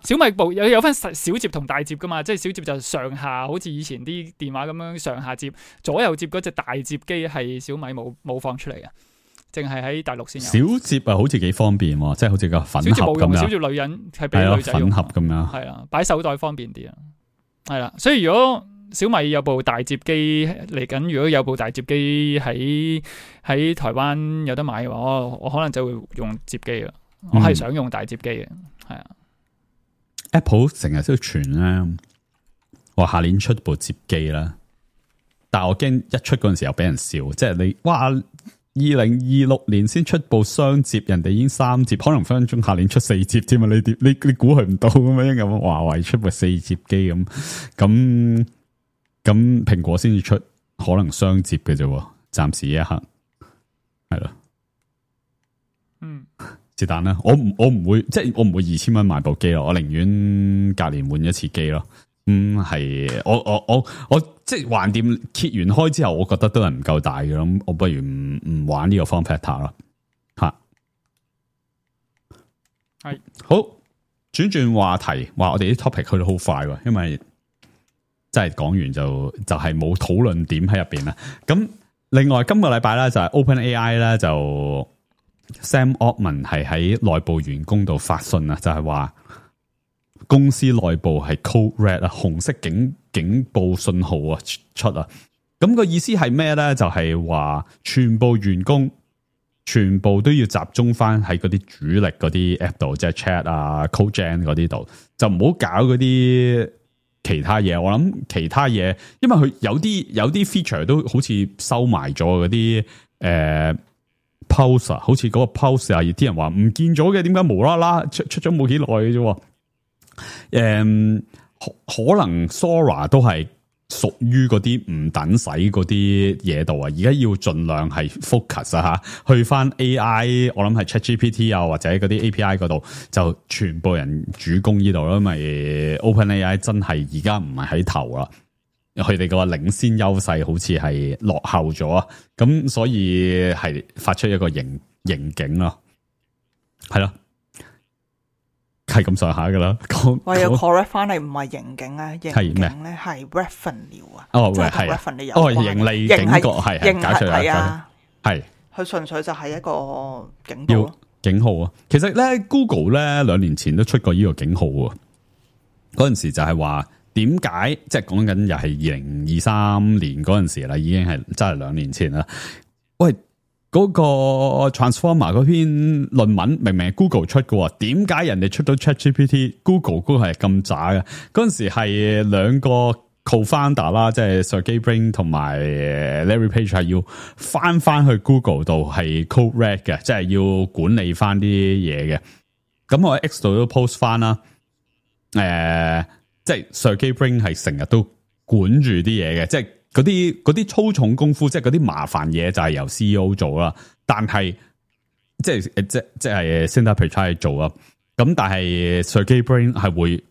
小米部有分小摺同大摺噶嘛？即係小摺就上下，好似以前啲電話咁樣上下摺，左右摺嗰隻大摺機係小米冇放出嚟嘅，淨係喺大陸先有。小摺啊，好似幾方便，即係好似個粉盒咁樣。小摺女人係俾女仔用，粉盒咁樣。係啦，擺手袋方便啲啊。係啦，所以如果小米有部大摺機嚟緊，如果有部大摺機喺台灣有得買嘅話，我可能就會用摺機啦。我係想用大摺機嘅，係啊。Apple 成日都傳咧，話下年出部摺機啦，但係我驚一出嗰陣時又俾人笑，即係你哇，2026年先出部雙摺，人哋已經三摺，可能分分鐘下年出四摺添啊！你估佢唔到咁樣咁，華為出部四摺機咁蘋果先至出可能雙摺嘅啫，暫時一刻係咯，是但啦，我唔會，即係我唔會2000蚊買部機咯，我寧願隔年換一次機咯。係我即係橫掂揭完開之後，我覺得都係唔夠大嘅，咁我不如唔玩呢個 form factor 啦。吓，係好轉話題，話我哋啲 topic 去到好快喎，因為真係講完就係冇討論點喺入邊啦。咁另外今個禮拜咧就係 OpenAI 咧就 Sam Altman 係喺內部員工度發信啊，就係話。公司內部係 code red 啊，紅色警報信號啊出啊，咁個意思係咩咧？就係話全部員工全部都要集中翻喺嗰啲主力嗰啲 app 度，即係 chat 啊、CodeGen 嗰啲度，就唔好搞嗰啲其他嘢。我諗其他嘢，因為佢有啲 feature 都好似收埋咗嗰啲pulse 啊，好似嗰個 pulse 啊，有啲人話唔見咗嘅，點解無啦啦出咗冇幾耐嘅啫？可能 Sora 都係屬於嗰啲唔等使嗰啲嘢度啊，而家要盡量係 focus 啊吓，去翻 AI， 我諗係 ChatGPT 啊或者嗰啲 API 嗰度就全部人主攻呢度啦，因為 OpenAI 真係而家唔係喺頭啦，佢哋個領先優勢好似係落後咗啊，咁所以係發出一個刑警咯，係咯。係咁上下噶啦，我要 correct 翻嚟，唔係盈警啊，盈警咧係 revenue 啊，哦，即係同 revenue 有關，盈利警告係解除啊，係佢純粹就係一個警報咯，警號啊。其實咧 Google 咧2年前都出過呢個警號啊，嗰陣時就係話點解，即係講緊又係2023年嗰陣時啦，已經係真係2年前啦。喂！嗰個 Transformer 嗰篇論文明明係 Google 出嘅，點解人哋出到 ChatGPT，Google 嗰個係咁渣嘅？嗰陣時係兩個 co-founder 啦，即係 Sergey Brin 同埋 Larry Page 係要翻去 Google 度係 code red 嘅，即係要管理翻啲嘢嘅。咁我喺 X 度都 post 翻啦。即係 Sergey Brin 係成日都管住啲嘢嘅，即係嗰啲粗重功夫，即係嗰啲麻煩嘢就係由 CEO 做啦。但係即係 Sundar Pichai 做啊。咁但係 Sergey Brin 係會。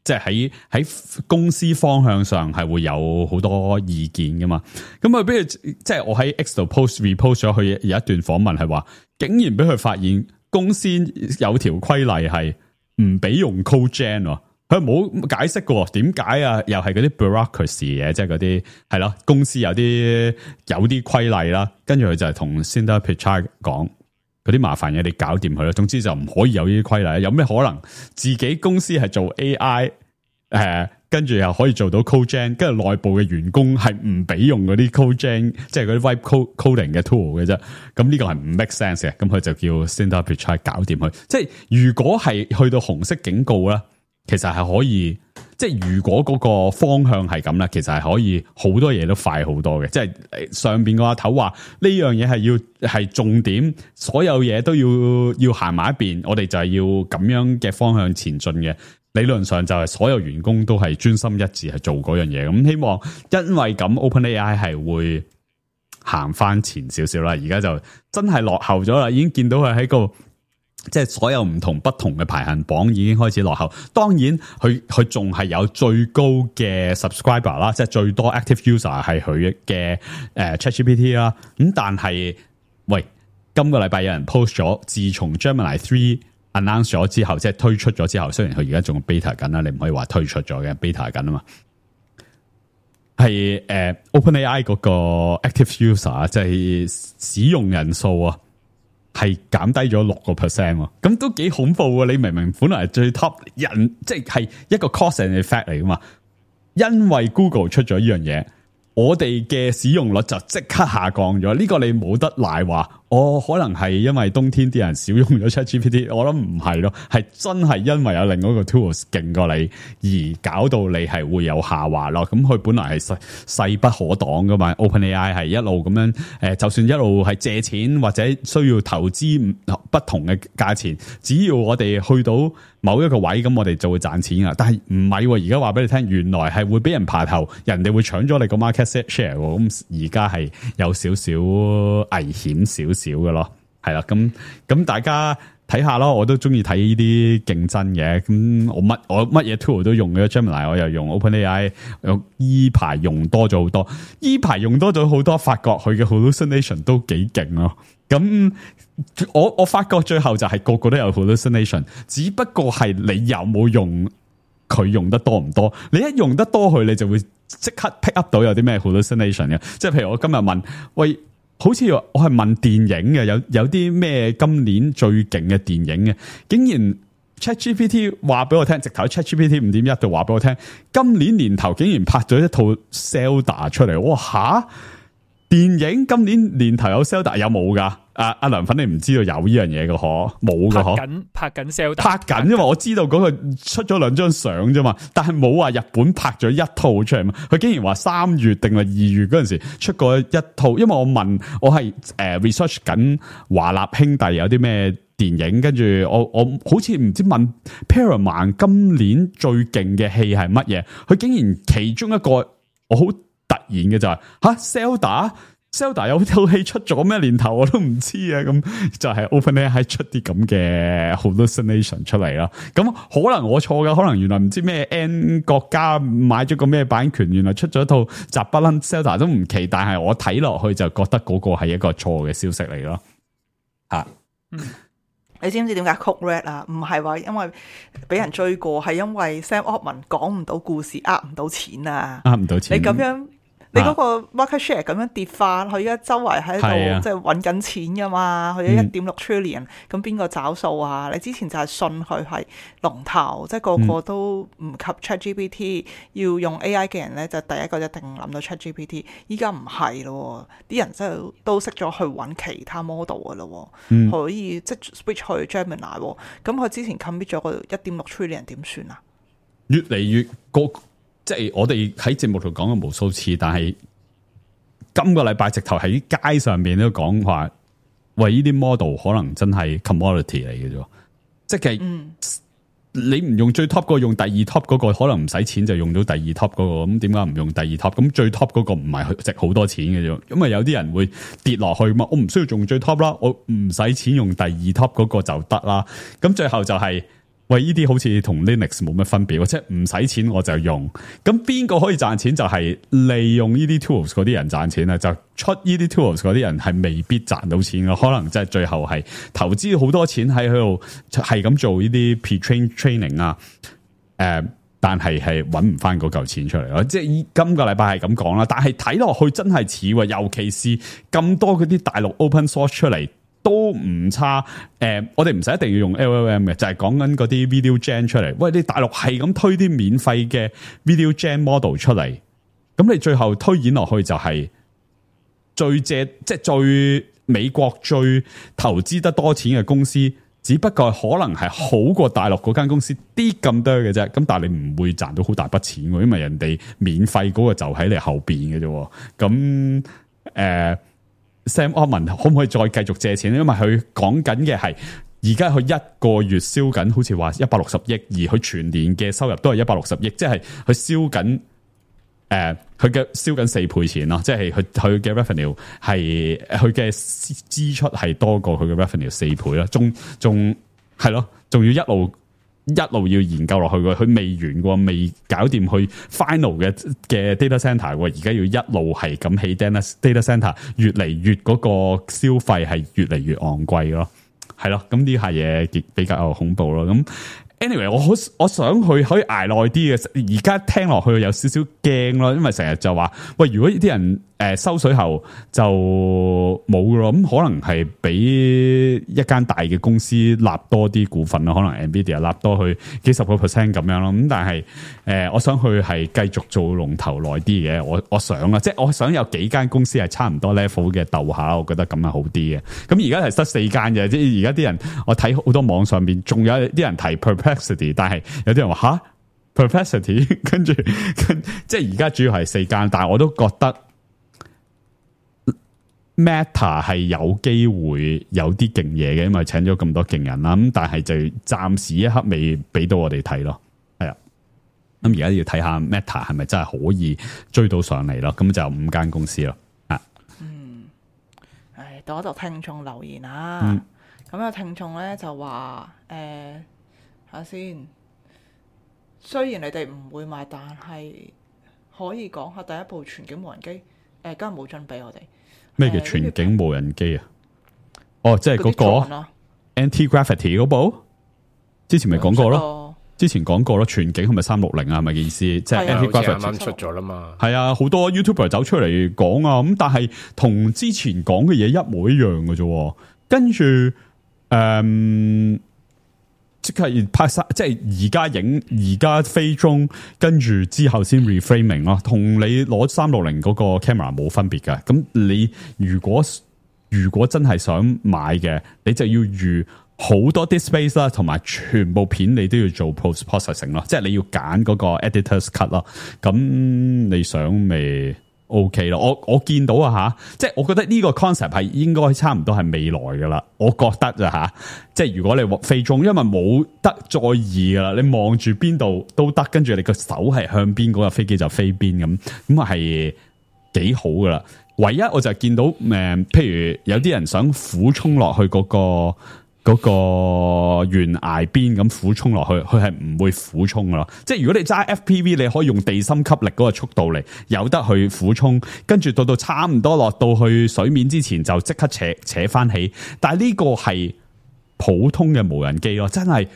即係喺公司方向上係會有好多意見噶嘛，咁佢比如即係我喺 X 度 repost 咗佢有一段訪問係話，竟然俾佢發現公司有條規例係唔俾用 CodeGen， 佢冇解釋過點解啊，又係嗰啲 bureaucracy 嘅，即係嗰啲係咯，公司有啲規例啦，跟住佢就係同 Sundar Pichai 講。嗰啲麻煩嘢你搞掂佢啦，總之就唔可以有呢啲規例。有咩可能自己公司係做 AI，跟住又可以做到 CodeGen， 跟住內部嘅員工係唔俾用嗰啲 CodeGen， 即係嗰啲 Vibe coding 嘅 tool 嘅啫。咁呢個係唔 make sense 嘅。咁佢就叫 Sundar Pichai 搞掂佢。即係如果係去到紅色警告啦，其實係可以。即係如果嗰個方向係咁啦，其實係可以好多嘢都快好多嘅。即係上邊個阿頭話呢樣嘢係重點，所有嘢都要行埋一邊，我哋就係要咁樣嘅方向前進嘅。理論上就係所有員工都係專心一致係做嗰樣嘢。咁希望因為咁 OpenAI 係會行翻前少少啦。而家就真係落後咗啦，已經見到佢喺個。即係所有不同嘅排行榜已經開始落後，當然佢仲係有最高嘅 subscriber 啦，即係最多 active user 係佢嘅ChatGPT 啦。咁但係喂，今個禮拜有人 post 咗，自從 Gemini 3 announce 咗之後，即係推出咗之後，雖然佢而家仲 beta 緊啦，你唔可以話推出咗嘅 beta 緊啊嘛。係OpenAI 嗰個 active user 即係使用人數啊。係減低咗6%，咁都幾恐怖啊！你明明本來係最 top 人，即係一個 cause and effect 嚟噶嘛？因為 Google 出咗呢樣嘢，我哋嘅使用率就即刻下降咗。呢個你冇得賴話。可能係因為冬天啲人少用咗 ChatGPT， 我諗唔係咯，係真係因為有另外一個 tools 勁過你，而搞到你係會有下滑咯。咁佢本來係勢不可擋噶嘛 ，OpenAI 係一路咁樣，就算一路係借錢或者需要投資不同嘅價錢，只要我哋去到某一個位，咁我哋就會賺錢噶。但係唔係，而家話俾你聽，原來係會俾人爬頭，人哋會搶咗你個 market share。咁而家係有少少危險少嘅咯，係啦，咁大家睇下咯，我都中意睇呢啲競爭嘅，咁我乜嘢 tool 都用嘅 Gemini， 我又用 OpenAI， 依排用多咗好多，發覺佢嘅 hallucination 都幾勁咯。咁我發覺最後就係個個都有 hallucination， 只不過係你有冇用佢用得多唔多？你一用得多佢，你就會即刻 pick up 到有啲咩 hallucination 嘅。即係譬如我今日問，喂。好似我係問電影嘅，有啲咩今年最勁嘅電影嘅，竟然 ChatGPT 話俾我聽，直頭 ChatGPT 5.1度話俾我聽，今年年頭竟然拍咗一套 Zelda 出嚟，哇吓！電影今年年頭有 Zelda 有冇噶？阿梁粉你唔知道有呢樣嘢嘅嗬？冇嘅嗬？拍緊 Zelda， 拍緊，因為我知道嗰個出咗2張相啫嘛，但係冇話日本拍咗一套出嚟嘛。佢竟然話3月定係2月嗰陣時出過一套，因為我問我係research 緊華納兄弟有啲咩電影，跟住我好似唔知問 Paramount 今年最勁嘅戲係乜嘢，佢竟然其中一個我好突然嘅就係Zelda 有套戲出咗咩年頭我都唔知啊，咁就係 OpenAI 出啲咁嘅 hallucination 出嚟啦。咁可能我錯噶，可能原來唔知咩 N 國家買咗個咩版權，原來出咗一套雜不楞 Zelda 都唔奇，但係我睇落去就覺得嗰個係一個錯嘅消息嚟咯。你知唔知點解 Code Red 啊？唔係話因為俾人追過，係因為 Sam Altman 講唔到故事，呃唔到錢啊！呃唔到錢，你咁樣。你嗰個 market share 咁樣跌翻，佢而家周圍喺度即係揾緊錢噶嘛，佢有1.6 trillion，咁邊個找數啊？你之前就係信佢係龍頭，即係個個都唔及 ChatGPT，要用 AI 嘅人咧就第一個一定諗到 ChatGPT。依家唔係咯，啲人真係都識咗去揾其他 model 噶咯，可以即係 switch 去 Gemini。咁佢之前 commit 咗個1.6 trillion 點算啊？越嚟越即係我哋喺節目度講過無數次，但係今個禮拜直頭喺街上面都講話，喂，呢啲 model 可能真係 commodity 嚟嘅啫，即係你唔用最 top 嗰個，用第二 top 嗰個，可能唔使錢就用到第二 top 嗰個，咁點解唔用第二 top？咁最 top 嗰個唔係值好多錢嘅啫，因為有啲人會跌落去嘛，我唔需要用最 top 啦，我唔使錢用第二 top 嗰個就得啦，咁最後就係。喂，呢啲好似同 Linux 冇乜分別，即係唔使錢我就用。咁邊個可以賺錢就係利用呢啲 tools 嗰啲人賺錢啊！就出呢啲 tools 嗰啲人係未必賺到錢嘅，可能即係最後係投資好多錢喺度，係咁做呢啲 pre-train training 啊。但係揾唔翻嗰嚿錢出嚟咯。即係今個禮拜係咁講啦，但係睇落去真係似喎，尤其是咁多嗰啲大陸 open source 出嚟。都唔差，我哋唔使一定要用 LLM 嘅，就係講緊嗰啲 video gen 出嚟。喂，你大陸係咁推啲免費嘅 video gen model 出嚟，咁你最後推演落去就係即係最美國最投資得多錢嘅公司，只不過可能係好過大陸嗰間公司啲咁多嘅啫。咁但係你唔會賺到好大筆錢喎，因為人哋免費嗰個就喺你後邊嘅啫。咁Sam Altman 可唔可以再繼續借錢？因為佢講緊嘅係而家佢一個月燒緊，好似話160億，而佢全年嘅收入都係160億，即係佢燒緊佢嘅燒緊4倍錢咯，即係佢嘅 revenue 係佢嘅支出係多過佢嘅 revenue 4倍啦，仲係咯，仲要一路要研究落去嘅，佢未完過，未搞掂去 final 嘅 data center，而家要一路係咁起 data center， 越嚟越嗰個消費係越嚟越昂貴咯，係咯，咁呢下嘢比較恐怖咯。咁 anyway， 我想佢可以捱耐啲嘅，而家聽落去有少少驚咯，因為成日就話喂，如果啲人收水後就冇咯，咁可能係俾一間大嘅公司納多啲股份咯，可能 Nvidia 納多去幾十個 percent 咁樣咯。咁但係我想佢係繼續做龍頭耐啲嘅，我想啦，即係我想有幾間公司係差唔多 level 嘅鬥下，我覺得咁係好啲嘅。咁而家係得4間嘅，即係而家啲人我睇好多網上邊仲有啲人提 Perplexity， 但係有啲人話吓 Perplexity， 跟住即係而家主要係4間，但係我都覺得。Meta 係有機會有啲勁嘢嘅，因為請咗咁多勁人啦。咁但係就暫時一刻未俾到我哋睇咯。係啊，咁而家要睇下 Meta 係咪真係可以追到上嚟咯？咁就有5間公司咯。啊，到一度聽眾留言啊。咁有聽眾咧就話睇下先。雖然你哋唔會買，但係可以講下第一部全景無人機。今日冇準備我哋。咩叫全景無人機啊？哦，即係嗰個 Anti-Gravity 嗰部，之前咪講過咯。之前講過咯，全景係咪360啊？係咪嘅意思？即係 Anti-Gravity 啱啱出咗啦嘛。係啊，好多 YouTuber 走出嚟講啊，咁但係同之前講嘅嘢一模一樣嘅啫。跟住即係拍晒，即係而家影，而家飛中，跟住之後先 reframing 咯，同你攞360嗰個 camera 冇分別嘅。咁你如果真係想買嘅，你就要預好多啲 space 啦，同埋全部片你都要做 post processing 咯，即係你要揀嗰個 editor's cut 咯。咁你想咪 OK 咯？我見到啊吓，即係我覺得呢個 concept 係應該差唔多係未來噶啦。我覺得咋吓，即係如果你飛中，因為冇得再移噶啦，你望住邊度都得，跟住你個手係向邊，嗰個飛機就飛邊咁係幾好噶啦。唯一我就見到譬如有啲人想俯衝落去嗰個懸崖邊咁俯衝落去，佢係唔會俯衝噶咯。即係如果你揸 FPV，你可以用地心吸力嗰個速度嚟，有得去俯衝，跟住到差唔多落到去水面之前就即刻扯翻起。但係呢個係普通嘅無人機咯，真係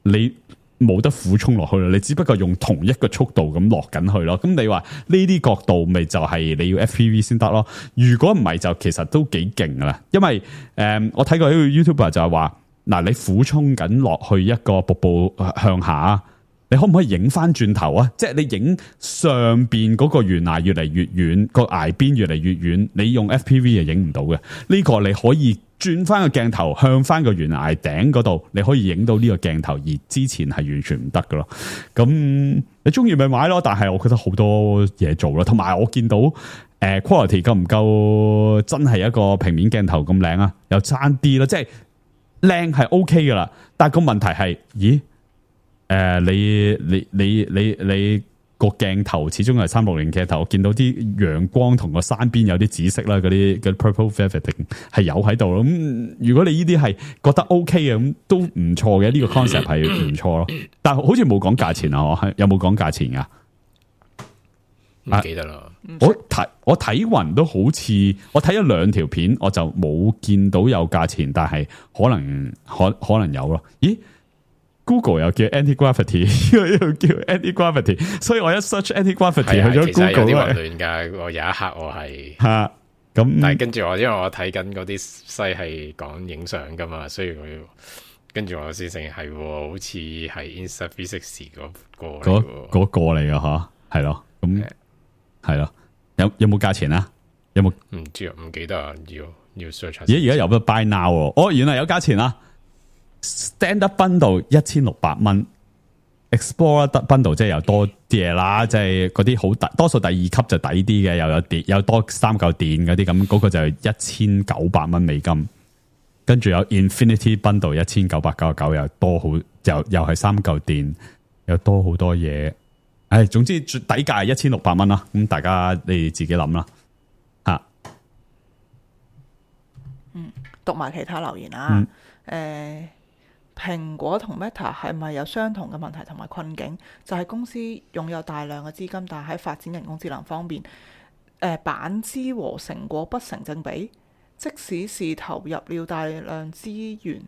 你冇得俯衝落去啦，你只不過用同一個速度咁落緊去咯。咁你話呢啲角度咪就係你要 FPV 先得咯？如果唔係就其實都幾勁噶啦。因為我睇過一個 YouTuber 就係話，嗱，你俯衝緊落去一個瀑布向下，你可唔可以影翻轉頭啊？即係你影上邊嗰個懸崖越嚟越遠，個崖邊越嚟越遠，你用 FPV 係影唔到嘅。呢個你可以轉翻個鏡頭向翻個懸崖頂嗰度，你可以影到呢個鏡頭，而之前係完全唔得噶咯。咁你中意咪買咯，但係我覺得好多嘢做咯，同埋我見到quality 夠唔夠真係一個平面鏡頭咁靚啊？又爭啲啦，即係靚係 OK 噶啦，但係個問題係，咦？你個鏡頭始終係360鏡頭，我見到啲陽光同個山邊有啲紫色啦，嗰啲 purple velveting 係有喺度咯。咁如果你呢啲係覺得 OK 嘅，咁都唔錯嘅，呢個 concept 係唔錯咯。但係好似冇講價錢啊，有冇講價錢噶？唔記得啦。我睇勻都好似我睇咗2條片，我就冇見到有價錢，但係可能有咯。咦？Google 又叫 anti-gravity， 又叫 anti-gravity， 所以我一 search anti-gravity 去咗 Google 有啲混亂㗎。我有一刻我係咁，但係跟住因為我睇緊嗰啲西係講影相㗎嘛，所以我跟住我先成係好似係 Insta360 嗰個嚟㗎吓，係咯，咁係咯，有冇價錢啊？有冇？唔知啊，唔記得啊，要 search 下。而家有得 buy now 哦，原來有價錢啊！Stand up bundle 1600蚊 ，Explorer bundle 即係又多啲嘢啦，即係嗰啲好多數第2級就抵啲嘅，又有電，有多3嚿電嗰啲咁，嗰個就1900蚊美金。跟住有 Infinity bundle 1999，又多好，又係3嚿電，又多好多嘢。唉，總之底價係1600蚊啦。咁大家你自己諗啦，吓。讀埋其他留言啦。蘋果同 Meta 係咪有相同嘅問題同埋困境？就係公司擁有大量嘅資金，但係喺發展人工智能方面，板資和成果不成正比。即使是投入了大量資源，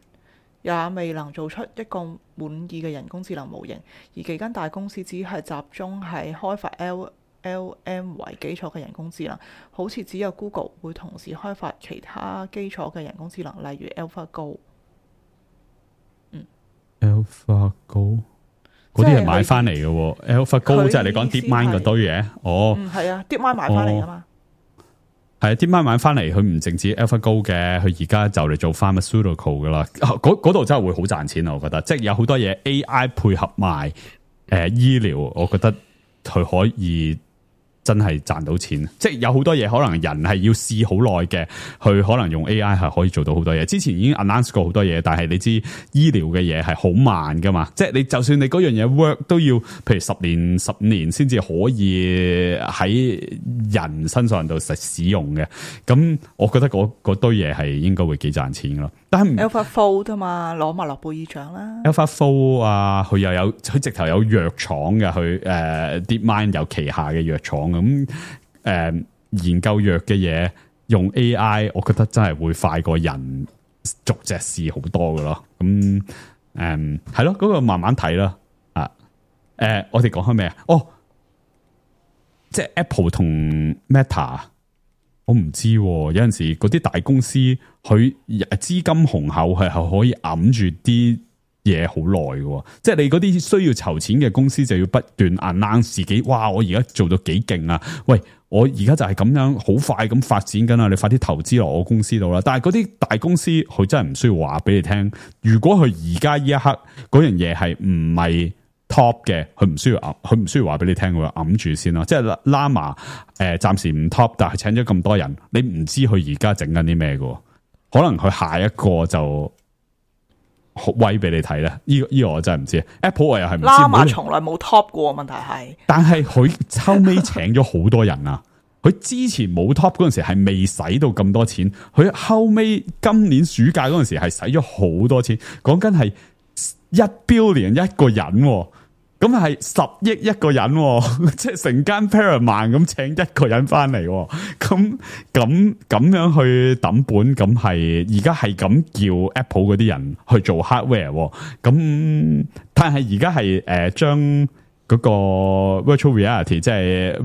也未能做出一個滿意嘅人工智能模型。而幾間大公司只係集中係開發 LLM 為基礎嘅人工智能，好似只有 Google 會同時開發其他基礎嘅人工智能，例如 AlphaGo。AlphaGo 嗰啲係買翻嚟嘅，AlphaGo 即係你講 DeepMind 嗰堆嘢。哦，係啊，DeepMind 買翻嚟噶嘛。係啊，DeepMind買翻嚟，佢唔淨止 AlphaGo 嘅，佢而家就嚟做 pharmaceutical 噶啦。嗰度真係會好賺錢啊！我覺得，即係有好多嘢 AI 配合埋醫療，我覺得佢可以真係賺到錢。即係有好多嘢可能人係要試好耐嘅，佢可能用 AI 係可以做到好多嘢。之前已經 announce 過好多嘢，但係你知醫療嘅嘢係好慢噶嘛。即係你就算你嗰樣嘢 work 都要，譬如10年、15年先至可以喺人身上度實使用嘅。咁我覺得嗰堆嘢係應該會幾賺錢噶咯。但係 AlphaFold 啊嘛，攞埋諾貝爾獎啦。AlphaFold 啊，佢又有佢直頭有藥廠嘅，佢DeepMind 有旗下嘅藥廠咁研究藥嘅嘢用 AI， 我覺得真係會快過人逐隻試好多㗎咯。咁係咯，嗰個慢慢睇啦。我哋講開咩啊？哦，即係 Apple 同 Meta。我唔知，有陣時嗰啲大公司佢資金雄厚係可以揞住啲嘢好耐嘅，即係你嗰啲需要籌錢嘅公司就要不斷 announce 自己，哇！我而家做到幾勁啊！喂，我而家就係咁樣好快咁發展緊啊！你快啲投資落我公司度啦！但係嗰啲大公司佢真係唔需要話俾你聽，如果佢而家呢一刻嗰樣嘢係唔係 top 嘅，佢唔需要話俾你聽，佢揞住先啦。即係 Llama 暫時唔 top，但係請咗咁多人，你唔知佢而家整緊啲咩嘅，可能佢下一個就威俾你睇咧。呢個我真係唔知。Apple 我又係唔知。Llama 從來冇 top 過，問題係。但係佢後尾請咗好多人啊！佢之前冇 top 嗰陣時係未使到咁多錢，佢後尾今年暑假嗰陣時係使咗好多錢，講緊係1 billion 一個人。咁係10億一個人，即係成間 Paramount 咁請一個人翻嚟，咁樣去抌本，咁係而家係咁叫 Apple 嗰啲人去做 hardware，咁但係而家係將嗰個 virtual reality， 即係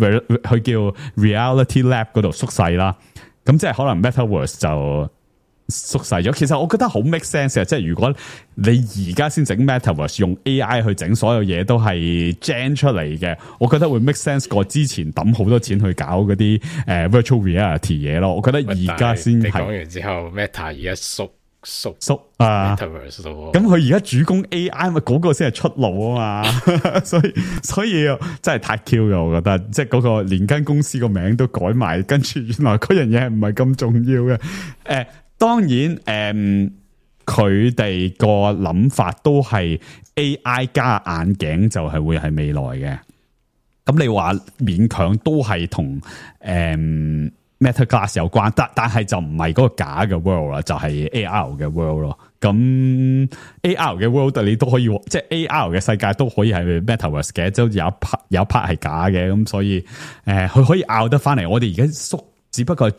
佢叫 Reality Lab 嗰度縮細啦，咁即係可能 Metaverse 就縮細咗。其實我覺得好 make sense 啊，即係如果你而家先整 Metaverse 用 AI 去整所有嘢都係 gen 出嚟嘅，我覺得會 make sense 過之前抌好多錢去搞嗰啲virtual reality 嘢咯。我覺得而家先係。你講完之後 Meta 而家縮啊，咁佢而家主攻 AI 咪嗰個先係出路啊嘛，所以真係太 Q 嘅，我覺得即係嗰個連間公司個名都改埋，跟住原來嗰樣嘢係唔係咁重要嘅。當然佢哋個諗法都係 AI 加眼鏡就係會係未來嘅。咁你話勉強都係同Meta Glass 有關，但係就唔係嗰個假嘅 world 啦，就係 AR 嘅 world 咯。咁 AR 嘅 world 你都可以，即係 AR 嘅世界都可以係 Metaverse 嘅，即係有一 part 係假嘅。咁所以佢可以拗得翻嚟。我哋而家縮，只不過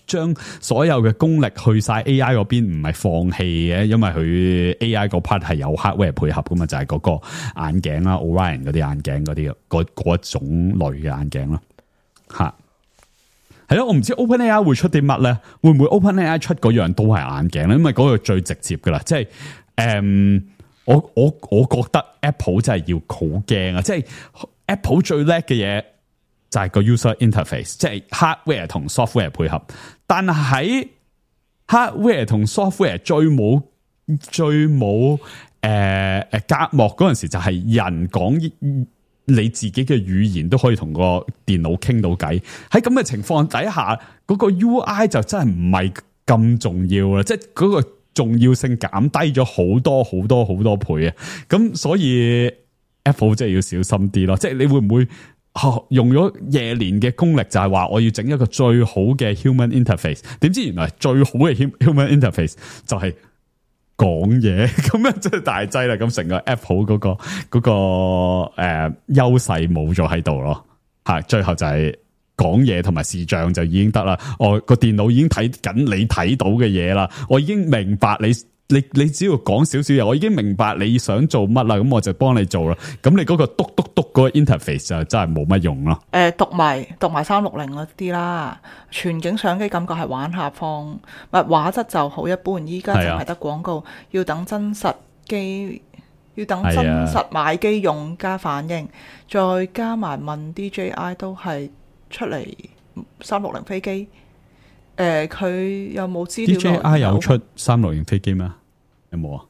將所有嘅功力去晒 AI 嗰邊，唔係放棄嘅，因為佢 AI 嗰 part 係有 hardware 配合噶嘛，就係嗰個眼鏡啦 ，Orion 嗰啲眼鏡嗰種類嘅眼鏡咯，吓。係咯，我唔知 OpenAI 會出啲乜咧？會唔會 OpenAI 出嗰樣都係眼鏡咧？因為嗰個最直接噶啦，即係我覺得 Apple 真係要好驚啊！即係 Apple 最叻嘅嘢就係個 user interface， 即係 hardware 同 software 配合。但係 hardware 同 software 最冇隔膜嗰陣時，就係人講。你自己嘅語言都可以同個電腦傾到偈，喺咁嘅情況底下，嗰個 UI 就真係唔係咁重要啦，即係嗰個重要性減低咗好多倍啊！咁所以 Apple 真係要小心啲咯，即係你會唔會用咗夜年嘅功力，就係話我要整一個最好嘅 human interface， 點知原來最好嘅 human interface 就係講嘢，咁樣真係大劑啦！咁成個 Apple 嗰個優勢冇咗喺度咯，係最後就係講嘢同埋視像就已經得啦。我個電腦已經睇緊你睇到嘅嘢啦，我已經明白你只要講少少嘢，我已經明白你想做乜啦，咁我就幫你做啦。咁你嗰個篤嗰個 interface 就真係冇乜用咯。讀埋360嗰啲啦，全景相機感覺係玩下放，畫質就好一般。依家淨係得廣告，要等真實買機用家反應，再加埋問 DJI 都係出嚟360飛機。佢有冇資料？DJI 有出360飛機咩？有冇啊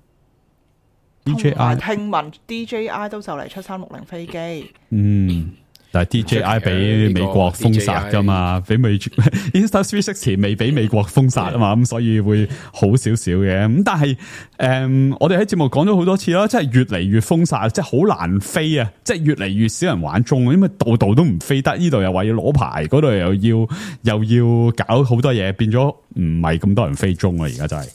？DJI 聽聞 DJI 都就嚟出360飛機。但係 DJI 俾美國封殺噶嘛，俾Insta360 未俾美國封殺啊嘛，咁所以會好少少嘅。咁但係我哋喺節目講咗好多次啦，即係越嚟越封殺，即係好難飛啊！即係越嚟越少人玩中，因為度度都唔飛得，呢度又話要攞牌，嗰度又要搞好多嘢，變咗唔係咁多人飛中啊！而家就係，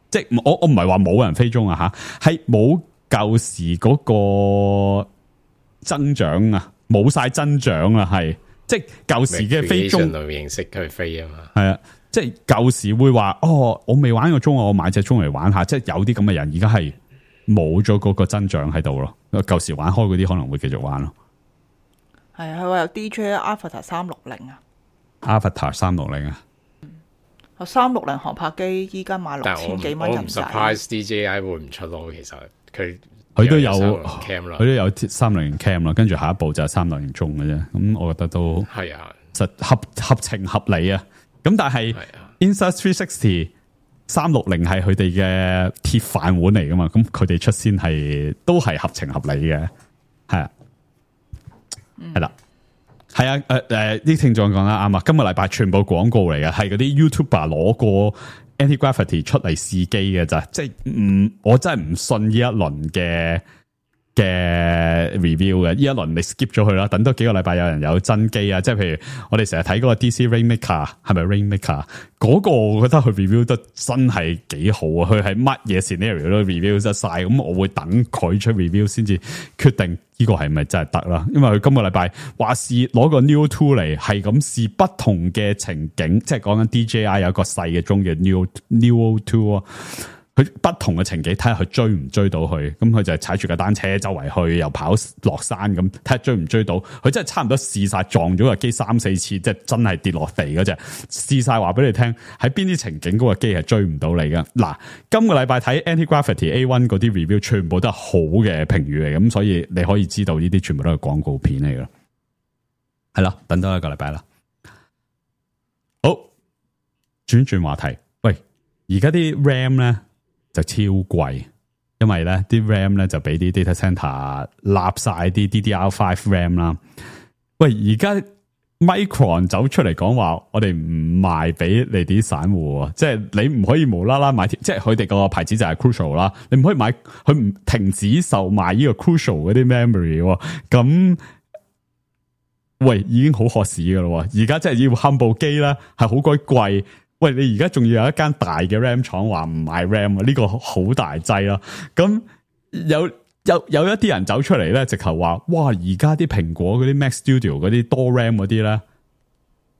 即係我唔係話冇人飛中啊吓，係冇舊時嗰個增長啊。冇晒增長啦，係即係舊時嘅飛中形式去飛啊嘛，係啊，即係舊時會話我未玩過鐘，我買隻鐘嚟玩下，即係有啲咁嘅人，而家係冇咗嗰個增長喺度咯。舊時玩開嗰啲可能會繼續玩咯。係啊，佢話有 DJI Avatar 360啊 ，Avatar 360啊，360航拍機依家賣6000幾蚊人仔。我唔 surprise DJI 會唔出咯，其實佢都有 cam 啦，佢都有360 cam 啦，跟住下一步就係360中嘅啫。咁我覺得都係啊，實合情合理啊。咁但係 Insta360 360係佢哋嘅鐵飯碗嚟噶嘛，咁佢哋出先係都係合情合理嘅，係啊，係啦，係啊，啲聽眾講得啱啊。今個禮拜全部廣告嚟嘅，係嗰啲 YouTuber 攞過Anti-Gravity 出嚟試機嘅咋，即係我真係唔信呢一輪嘅 review 嘅，呢一輪你 skip 咗佢啦，等多幾個禮拜有人有真機啊，即係譬如我哋成日睇嗰個 DC Rainmaker 係咪 Rainmaker 嗰個，我覺得佢 review 得真係幾好啊，佢係乜嘢 scenario 都 review 得晒，咁我會等佢出 review 先至決定呢個係咪真係得啦，因為佢今個禮拜話試攞個 Neo 2嚟係咁試不同嘅情景，即係講緊 DJI 有一個細嘅鐘嘅 Neo 2啊。佢不同嘅情景，睇下佢追唔追到佢。咁佢就係踩住架單車周圍去，又跑落山咁，睇下追唔追到。佢真係差唔多試晒撞咗個機3-4次，即係真係跌落地嗰隻。試晒話俾你聽，喺邊啲情景嗰個機係追唔到你嘅。嗱，今個禮拜睇 Anti-Gravity A1 嗰啲 review， 全部都係好嘅評語嚟，咁所以你可以知道呢啲全部都係廣告片嚟噶。係啦，等多一個禮拜啦。好，轉話題。喂，而家啲 RAM 咧就超貴，因為咧啲 RAM 咧就俾啲 data center 立晒啲 DDR5 RAM 啦。喂，而家 Micron 走出嚟講話，我哋唔賣俾你啲散戶，即係你唔可以無啦啦買，即係佢哋個牌子就係 Crucial 啦，你唔可以買，佢唔停止售賣呢個 Crucial 嗰啲 memory，咁。喂，已經好渴市噶啦，而家真係要冚部機啦，係好鬼貴。喂，你而家仲要有一間大嘅 RAM 廠話唔賣 RAM 啊？呢個好大劑啦。咁有一啲人走出嚟咧，直頭話，哇！而家啲蘋果嗰啲 Mac Studio 嗰啲多 RAM 嗰啲咧，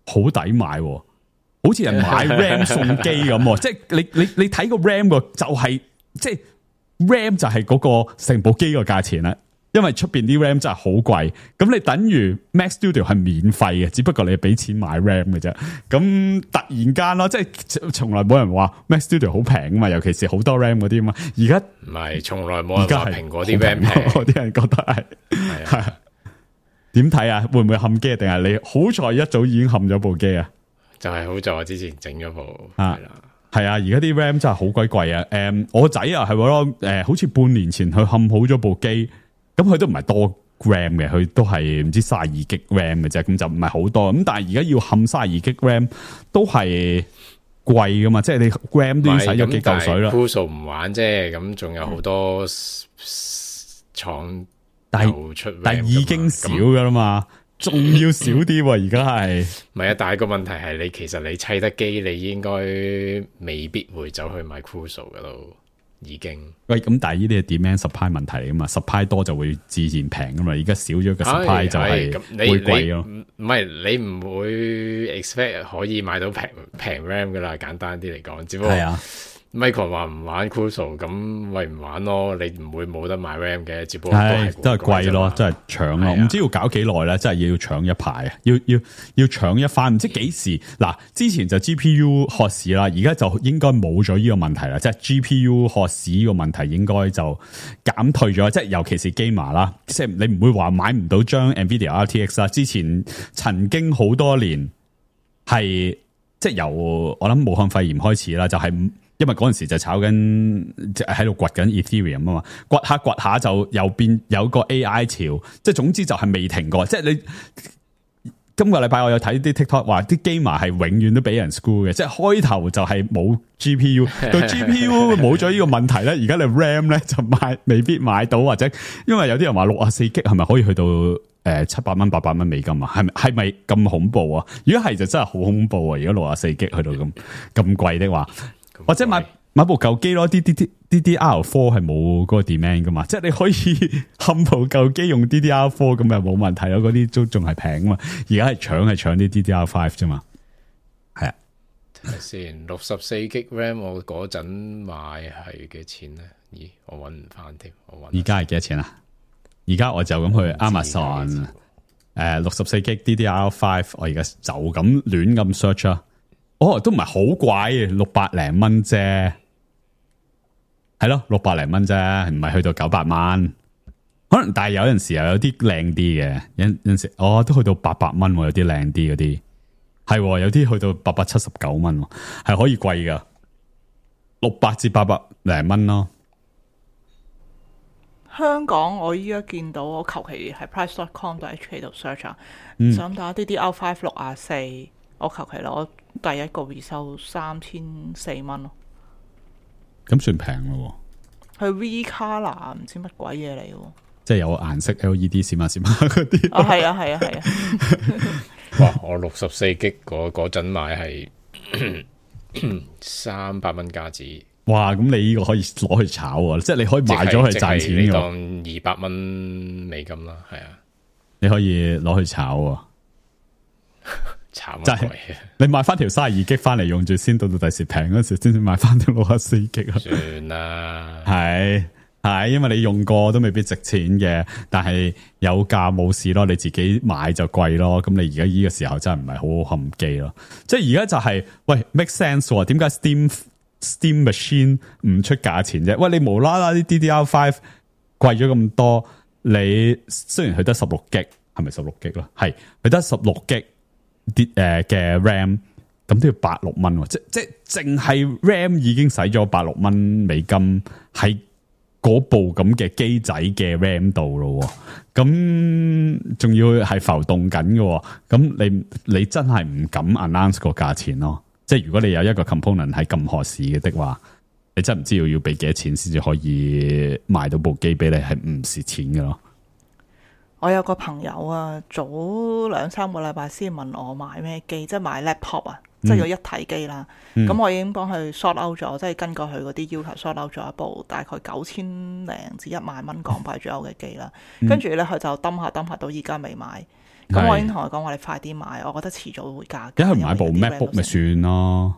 好抵買，好似人買 RAM 送機咁。即係你睇個 RAM 個就係，即係 RAM 就係嗰個成部機個價錢啦。因為出邊啲 RAM 真係好貴，咁你等於 Mac Studio 係免費嘅，只不過你俾錢買 RAM 嘅啫。咁突然間咯，即係從來冇人話 Mac Studio 好平啊嘛，尤其是好多 RAM 嗰啲啊嘛。而家唔係，從來冇人話蘋果啲 RAM 平，啲人覺得係點睇啊？會唔會冚機？定係你好彩一早已經冚咗部機啊？就係好在我之前整咗部係啦，係啊！而家啲 RAM 真係好鬼貴啊！我個仔啊係咯，好似半年前去冚好咗部機。咁佢都唔係多 RAM 嘅，佢都係唔知32 G RAM 嘅啫，咁就唔係好多。咁但係而家要冚32 G RAM 都係貴噶嘛，即係你 RAM 都要使咗幾嚿水啦。Crucial 唔玩啫，咁仲有好多廠又出 RAM，但係已經少噶啦嘛，仲要少啲。而家係唔係啊？但係個問題係你其實你砌得機，你應該未必會走去買 Crucial 噶咯。已經喂，咁但係呢啲係 demand supply 問題嚟噶嘛 ，supply 多就會自然平噶嘛，而家少咗個 supply 就係會貴咯。唔係你唔會 expect 可以買到平 RAM 噶啦，簡單啲嚟講，只不過係啊。Micron 話唔玩 Crucial， 咁咪唔玩咯，你唔會冇得買 RAM 嘅，只不過都係貴咯，真係搶咯，唔知要搞幾耐咧，真係要搶一排啊，要搶一番，唔知幾時嗱，之前就 GPU 渴市啦，而家就應該冇咗呢個問題啦，即係 GPU 渴市呢個問題應該就減退咗，即係尤其是 Gamer 啦，即係你唔會話買唔到張 Nvidia RTX 啦，之前曾經好多年係即係由我諗武漢肺炎開始啦，就係。因為嗰陣時就炒緊，喺度掘緊 Ethereum 啊嘛，掘下就又變有個 AI 潮，即係總之就係未停過。即係你今個禮拜我有睇啲 TikTok 話啲 gamer 係永遠都俾人 screw 嘅，即係開頭就係冇 GPU， 到 GPU 冇咗呢個問題咧，而家你 RAM 咧就未必買到，或者因為有啲人話64 G 係咪可以去到700蚊800蚊美金啊？係咪咁恐怖啊？如果係就真係好恐怖啊！如果64 G 去到咁貴的話。或者買部舊機咯，DDR4 係冇嗰個 demand 噶嘛，即係你可以冚部舊機用 DDR4 咁又冇問題咯，嗰啲都仲係平啊嘛。而家係搶啲 DDR5 啫嘛，係啊。睇下先，64 G RAM 我嗰陣買係幾錢咧？咦，我搵唔翻添，而家係幾多錢啊？而家我就咁去 Amazon， 64 G DDR5， 我而家就咁亂咁 search 啊。哦，都唔係好貴，600零蚊啫，係咯，600零蚊啫，唔係去到900蚊，可能但係有陣時又有啲靚啲嘅，有陣時都去到800蚊，有啲靚啲嗰啲，係有啲去到879蚊，係可以貴噶，600至800零蚊咯。香港我依家見到我求其喺 price.com.hk 度 search 啊，想打 DDR5 64，我求其攞。第一個回收3400蚊咯，咁算平咯。係 V Color 唔知乜鬼嘢嚟嘅，即係有顏色 LED 閃下閃下嗰啲。係啊。哇！我64 G 嗰陣買係300蚊加紙。哇！咁你呢個可以攞去炒啊，即係你可以賣咗去賺錢嘅。你當200蚊美金啦，係啊，你可以攞去炒啊。慘就係你買翻條32G 翻嚟用住先，到第時平嗰時先至買翻條64G啊。算啦，係，因為你用過都未必值錢嘅，但係有價冇事咯，你自己買就貴咯。咁你而家呢個時候真係唔係好冚機咯。即係而家就係喂 make sense 點解 Steam Machine 唔出價錢啫？喂，你無啦啦啲 DDR5 貴咗咁多，你雖然佢得16G，係咪16G 咯？係佢得16G 啲嘅 RAM，咁都要86蚊，即係淨係 RAM 已經使咗86蚊美金喺嗰部咁嘅機仔嘅 RAM 度咯，咁仲要係浮動緊嘅，咁你真係唔敢 announce 個價錢咯。即係如果你有一個 component 係咁合適嘅話，你真係唔知要俾幾多錢先至可以賣到部機俾你係唔蝕錢嘅咯。我有個朋友啊，早2-3個禮拜先問我買咩機，即係買 laptop 啊，即係有一體機啦。咁我已經幫佢 sort out 咗，即係根據佢嗰啲要求 sort out 咗一部大概9000零至1萬蚊港幣左右嘅機啦。跟住咧佢就抌下到而家未買。咁我已經同佢講話，你快啲買，我覺得遲早會加價。一係買部 MacBook 咪算咯。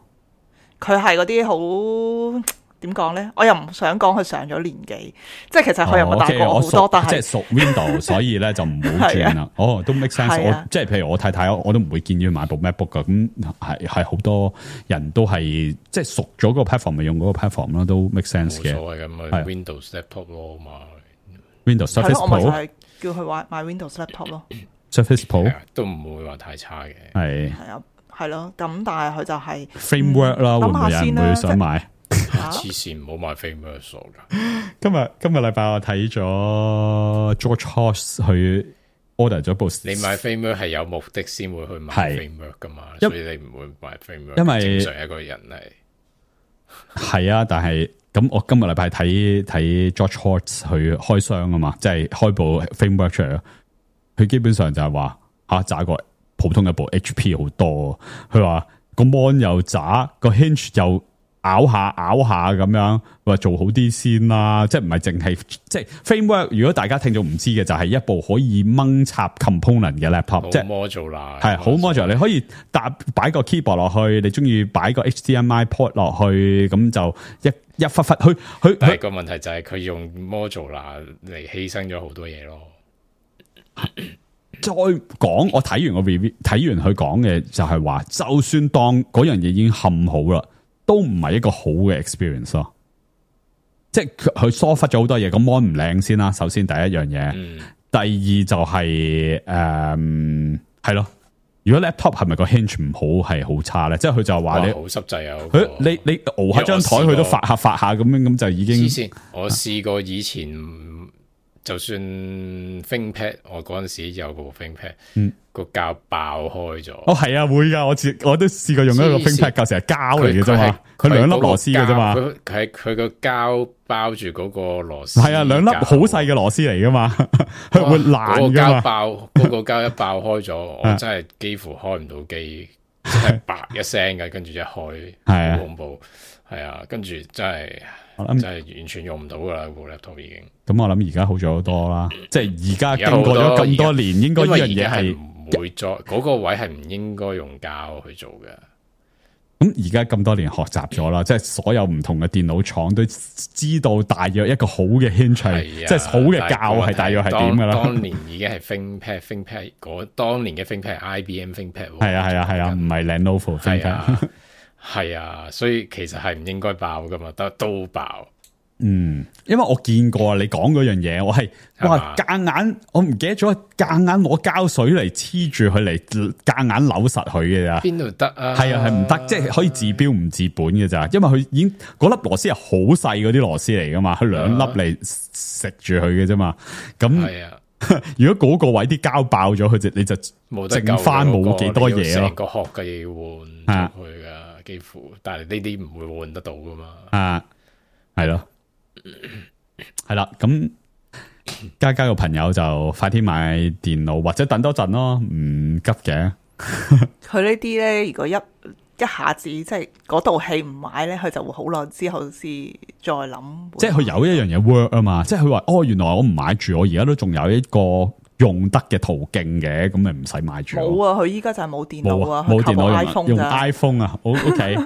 佢係嗰啲好點講咧？我又唔想講佢上咗年紀，即係其實佢又冇大過我好多，但係即係屬 Windows， 所以咧就唔好轉啦。都 make sense。即係譬如我太太，我都唔會建議佢買部 MacBook 噶。咁係好多人都係即係熟咗個 platform， 咪用嗰個 platform 咯，都 make sense 嘅。冇所謂咁啊 ，Windows laptop 咯嘛。Windows Surface Pro， 我咪就係叫佢買 Windows laptop 咯。Surface Pro 都唔會話太差嘅。係啊，係咯。咁但係佢就係 framework 啦，會唔會有人會想買？黐線，唔好買 framework 傻噶。今日禮拜我睇咗 George Hoss 去 order 咗部。你買 framework 係有目的先會去買 framework 噶嘛？所以你唔會買 framework。因為正常一個人係啊，但係咁我今日禮拜睇 George Hoss 去開箱啊嘛，即係開部 framework 出嚟咯。佢基本上就係話渣過普通一部 HP 好多。佢話個 mon 又渣，個 hinge 又拗下咁樣，話做好啲先啦。即係唔係淨係即係 framework。如果大家聽眾唔知嘅，就係一部可以掹插 component 嘅 laptop， 即係 modular 係好 modular。你可以擺個 keyboard 落去，你中意擺個 HDMI port 落去，咁就一忽佢。但係個問題就係佢用 modular 嚟犧牲咗好多嘢咯。再講，我睇完個 review， 睇完佢講嘅就係話，就算當嗰樣嘢已經冚好啦，都唔係一個好嘅 experience 咯。即係佢疏忽咗好多嘢，咁 mon 唔靚先啦。首先第一樣嘢，第二就係係咯。如果 laptop 係咪個 hinge 唔好係好差咧？即係佢就話你好濕滯啊！你熬下張台，佢都發下咁樣，咁就已經。我試過以前。就算 ThinkPad， 我嗰陣時有部 ThinkPad，個膠爆開咗。係啊，會噶，我都試過用一個 ThinkPad，舊時係膠嚟嘅啫嘛，佢兩粒螺絲嘅啫嘛。佢個膠包住嗰個螺絲。係啊，兩粒好細嘅螺絲嚟噶嘛，佢會爛噶嘛。嗰個膠一爆開咗，我真係幾乎開唔到機，真係啪一聲嘅，跟住一開，好恐怖。係啊，跟住真係。真係完全用唔到噶啦，部 laptop 已經。咁我諗而家好咗好多啦，即係而家經過咗咁多年，應該呢樣嘢係唔會再嗰個位係唔應該用膠去做嘅。咁而家咁多年學習咗啦，即係所有唔同嘅電腦廠都知道大約一個好嘅 hinge，即係好嘅膠係大約係點噶啦。當年已經係 ThinkPad 嗰當年嘅 ThinkPad IBM ThinkPad。係啊，唔係 Lenovo ThinkPad。係啊，所以其實係唔應該爆噶嘛，得都爆。因為我見過你講嗰樣嘢，我係夾硬，我唔記得咗夾硬攞膠水嚟黐住佢嚟夾硬扭實佢嘅咋。邊度得啊？係啊，係唔得，即係可以治標唔治本嘅咋。因為佢已經嗰粒螺絲係好細嗰啲螺絲嚟噶嘛，佢兩粒嚟食住佢嘅啫嘛。咁如果嗰個位啲膠爆咗，你就剩翻冇幾多嘢咯。成個殼嘅要換咗佢噶。幾乎，但係呢啲唔會換得到噶嘛。係咯，係啦。咁嘉嘉個朋友就快啲買電腦，或者等多陣咯，唔急嘅。佢呢啲咧，如果一下子即係嗰道氣唔買咧，佢就會好耐之後先再諗。即係佢有一樣嘢 work 啊嘛，即係佢話原來我唔買住，我而家都仲有一個用得嘅途徑嘅，咁咪唔使買住。冇啊，佢依家就係冇電腦啊，冇電腦 iPhone 用 iPhone 啊。OK，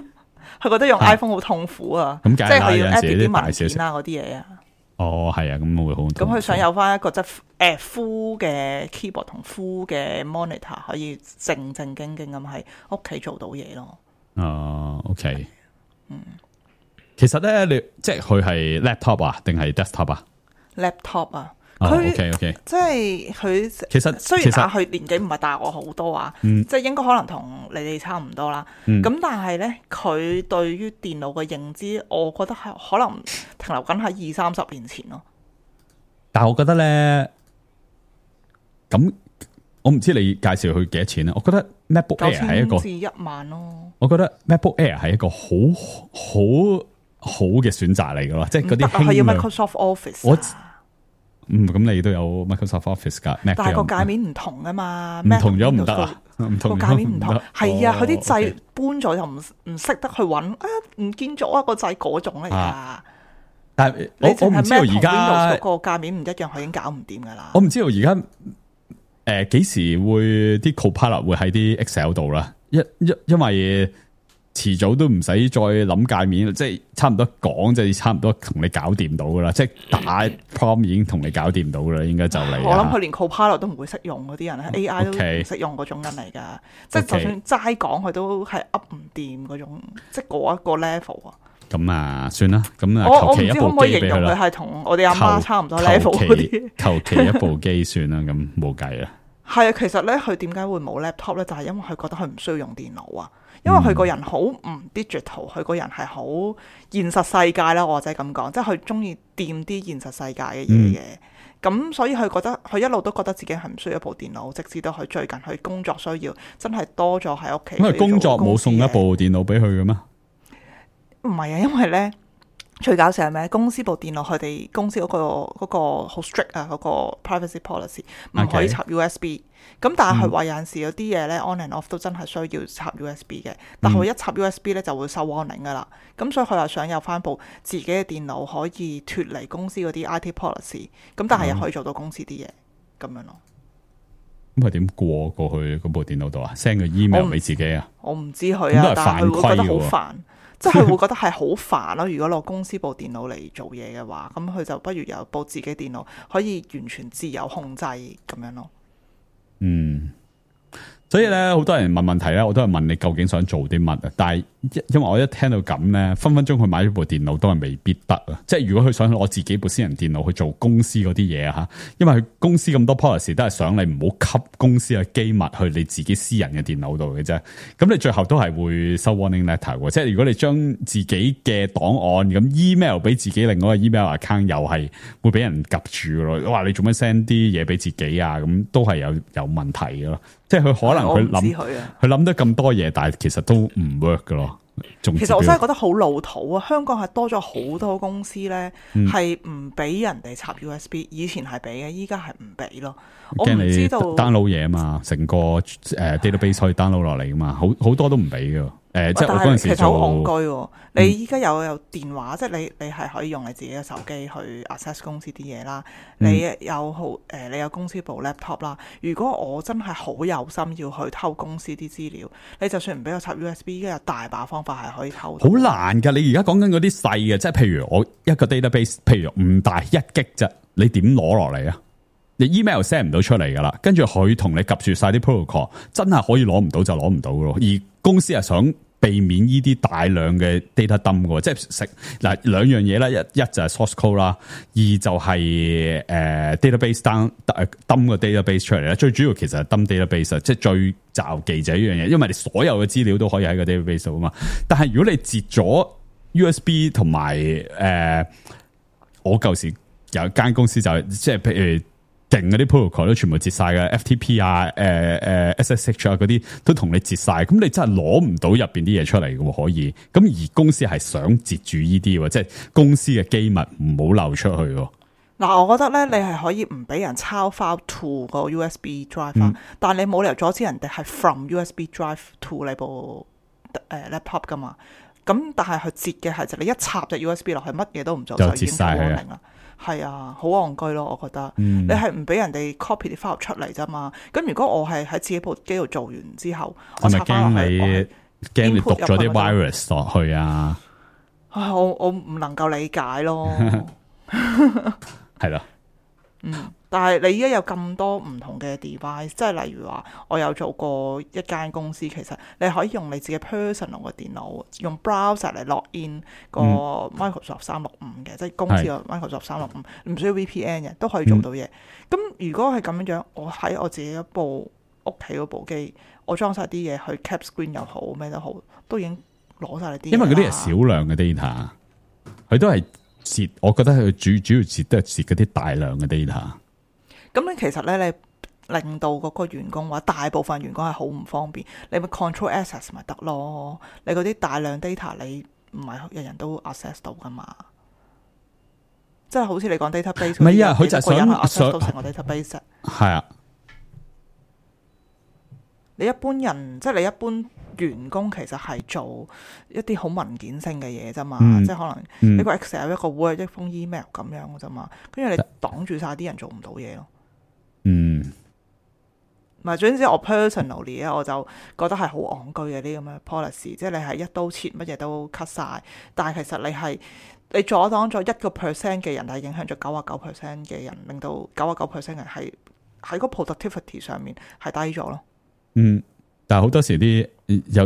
佢覺得用 iPhone 好痛苦啊，即係佢要 edit 啲文件啊嗰啲嘢啊。哦，係啊，咁會好。咁佢想有翻一個即係full 嘅 keyboard 同 full 嘅 monitor， 可以正正經經咁喺屋企做到嘢咯。OK， 其實咧，你即係佢係 laptop 啊，定係 desktop 啊 ？laptop 啊，OK， 即係佢其實雖然佢年紀唔係大我好多啊，即係應該可能同你哋差唔多啦。咁但係咧，佢對於電腦嘅認知，我覺得係可能停留緊喺20-30年前咯。但係我覺得咧，咁我唔知你介紹佢幾多錢咧？我覺得 MacBook Air 係一個9,000至1萬咯。我覺得 MacBook Air 係一個好嘅選擇嚟噶咯，即係嗰啲係要 Microsoft Office。咁你都有 Microsoft Office 噶，但係個界面唔同啊嘛，唔同咗唔得啊，唔同個界面唔同，係啊，佢啲掣搬咗又唔識得去揾，唔見咗啊個掣嗰種嚟噶。但係我唔知道而家個界面唔一樣，佢已經搞唔掂噶啦。我唔知道而家幾時會啲 Copilot 會喺啲 Excel 度啦，因為遲早都唔使再諗界面，即係差唔多講，即係差唔多同你搞掂到噶啦，即係打 prompt 已經同你搞掂到啦，應該就嚟。我諗佢連 Copilot 都唔會識用嗰啲人，AI 都唔識用嗰種人嚟噶，即係就算齋講佢都係 up 唔掂嗰種，即係嗰一個 level 啊。咁啊，算啦，咁啊，我唔知可唔可以形容佢係同我哋阿媽差唔多 level 嗰啲，求其一部機算啦，咁冇計啦。係啊，其實咧，佢點解會冇 laptop 咧？就係因為佢覺得佢唔需要用電腦啊。因為佢個人好唔 digital，佢個人係好現實世界啦，我或者咁講，即係佢中意掂啲現實世界嘅嘢嘅。咁所以佢覺得佢一路都覺得自己係唔需要一部電腦，直至到佢最近佢工作需要，真係多咗喺屋企。因為工作冇送一部電腦俾佢嘅咩？唔係啊，因為咧最搞笑係咩？公司部電腦佢哋公司嗰個好 strict 啊，嗰個 privacy policy 唔可以插 USB。咁但係佢話有陣時有啲嘢咧 on and off 都真係需要插 USB 嘅，但係佢一插 USB 咧就會收 warning 噶啦。咁所以佢又想有翻部自己嘅電腦可以脫離公司嗰啲 IT policy， 咁但係又可以做到公司啲嘢咁樣咯。咁佢點過去嗰部電腦度啊 ？send 個 email 俾自己啊？我唔知佢啊，但係佢會覺得好煩，即係佢會覺得係好煩咯。如果攞公司部電腦嚟做嘢嘅話，咁佢就不如有部自己電腦可以完全自由控制咁樣咯。所以咧，好多人問問題咧，我都係問你究竟想做啲乜啊？但係因為我一聽到咁咧，分分鐘佢買咗部電腦都係未必得啊！即係如果佢想攞自己部私人電腦去做公司嗰啲嘢啊，因為佢公司咁多 policy 都係想你唔好吸公司嘅機密去你自己私人嘅電腦度嘅啫。咁你最後都係會收 warning letter 嘅。即係如果你將自己嘅檔案咁 email 俾自己另外一個 email account， 又係會俾人夾住咯。哇！你做咩 send 啲嘢俾自己啊？咁都係有問題嘅咯。即係佢可能佢諗得咁多嘢，但係其實都唔 work 噶咯。其實我真係覺得好老土啊！香港係多咗好多公司咧，係唔俾人哋插 USB， 以前係俾嘅，依家係唔俾咯。我唔知道 download 嘢啊嘛，成個database 可以 download 落嚟噶嘛，好多都唔俾噶。即係我嗰陣時其實好戇居。你依家有電話，即係你係可以用你自己嘅手機去 access 公司啲嘢啦。你有公司部 laptop 啦。如果我真係好有心要去偷公司啲資料，你就算唔俾我插 USB， 依家有大把方法係可以偷到。好難噶！你而家講緊嗰啲細嘅，即係譬如我一個 database， 譬如唔大1 G 啫，你點攞落嚟啊？你 email send 唔到出嚟噶啦，跟住佢同你夾住晒啲 protocol， 真係可以攞唔到就攞唔到咯。而公司係想避免呢啲大量嘅 data dump 嘅，即係食嗱兩樣嘢啦，一就係 source code 啦，二就係database dump 個 database 出嚟啦。最主要其實係 dump database， 即係最罩忌就係呢樣嘢，因為你所有嘅資料都可以喺個 database 度啊嘛。但係如果你截咗 USB 同埋我舊時有一間公司就係即係譬如。勁嗰啲 protocol 都全部截晒嘅 FTP 啊、SSH 啊嗰啲都同你截晒，咁你真係攞唔到入邊啲嘢出嚟嘅可以。咁而公司係想截住呢啲，即係公司嘅機密唔好流出去。嗱，我覺得咧，你係可以唔俾人抄 file to 個 USB drive，但係你冇理由阻止人哋係 from USB drive to 你部laptop 噶嘛。咁但係佢截嘅係就你一插隻 USB 落去，乜嘢都唔做就截晒佢啦。係啊，好戇居咯，我覺得。你係唔俾人哋 copy 啲 file 出嚟啫嘛？咁如果我係喺自己部機度做完之後，我插翻落去，驚你讀咗啲 virus 落去啊？我唔能夠理解咯。係咯。但係你依家有咁多唔同嘅 device， 即係例如話，我有做過一間公司，其實你可以用你自己 personal 嘅電腦，用 browser 嚟 log in 個 Microsoft 365嘅，即係公司個 Microsoft 365，唔需要 VPN 嘅，都可以做到嘢。咁如果係咁樣，我喺我自己一部屋企嗰部機，我裝晒啲嘢去 cap screen 又好，咩都好，都已經攞晒你啲。因為嗰啲係少量嘅 data， 佢都係截，我覺得佢主要截都係截嗰啲大量嘅 data。咁你其實咧，你令到嗰個員工或者大部分員工係好唔方便，你咪 control access 咪得咯？你嗰啲大量 data 你唔係人人都 access 到噶嘛？即係好似你講 database， 唔係啊，佢就係想 access 到成個 database。係啊，你一般人即係你一般員工其實係做一啲好文件性嘅嘢啫嘛，即係可能一個 Excel 一個 Word 一封 email 咁樣嘅啫嘛，跟住你擋住晒啲人做唔到嘢咯。唔係，總之我 personally 咧，我就覺得係好戇居嘅啲咁嘅 policy， 即係你係一刀切乜嘢都 cut 晒，但係其實你阻擋咗1% 嘅人，係影響咗99% 嘅人，令到99% 人係喺個 productivity 上面係低咗咯。但係好多時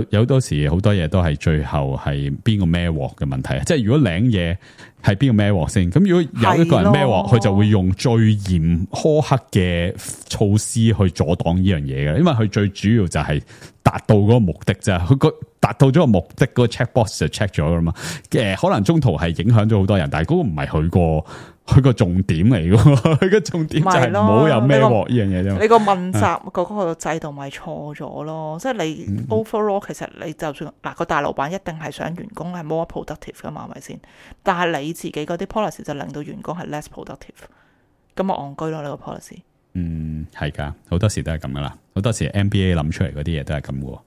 有多時好多嘢都係最後係邊個孭鑊嘅問題，即係如果領嘢係邊個孭鑊先，咁如果有一個人孭鑊，佢就會用最嚴苛刻嘅措施去阻擋呢樣嘢嘅，因為佢最主要就係達到嗰個目的啫，佢達到咗個目的，嗰個 check box 就 check 咗噶嘛，可能中途係影響咗好多人，但係嗰個唔係佢個重點嚟嘅，佢個重點就係唔好有孭鑊呢樣嘢啫。你個問責嗰個制度咪錯咗咯？即係你 overall 其實你就算嗱個大老闆一定係想員工係 more productive 噶嘛，係咪先？但係你自己嗰啲 policy 就令到員工係 less productive， 咁咪戇居咯呢個 policy。係噶，好多時都係咁噶啦，好多時 NBA 諗出嚟嗰啲嘢都係咁嘅，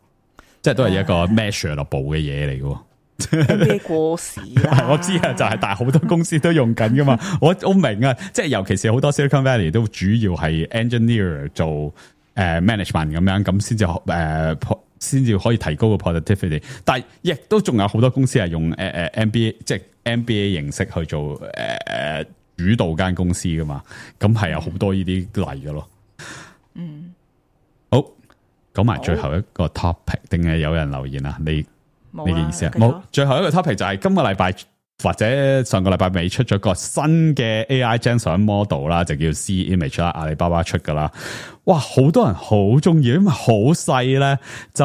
即係都係一個 measurable 嘅嘢嚟嘅。NBA 過時啦，我知啊，就係但係好多公司都用緊噶嘛，我明啊，即係尤其是好多 Silicon Valley 都主要係 engineer 做management 咁樣，咁先至可以提高個 productivity， 但係亦都仲有好多公司係用MBA 即係 MBA 形式去做主導間公司噶嘛，咁係有好多呢啲例噶咯。好，講埋最後一個 topic， 定係有人留言啊？你嘅意思啊？冇，最後一個 topic 就係今個禮拜或者上個禮拜尾出咗個新嘅 AI Gen model 啦，就叫 C Image 啦，阿里巴巴出噶啦。哇，好多人好中意，因為好細咧，就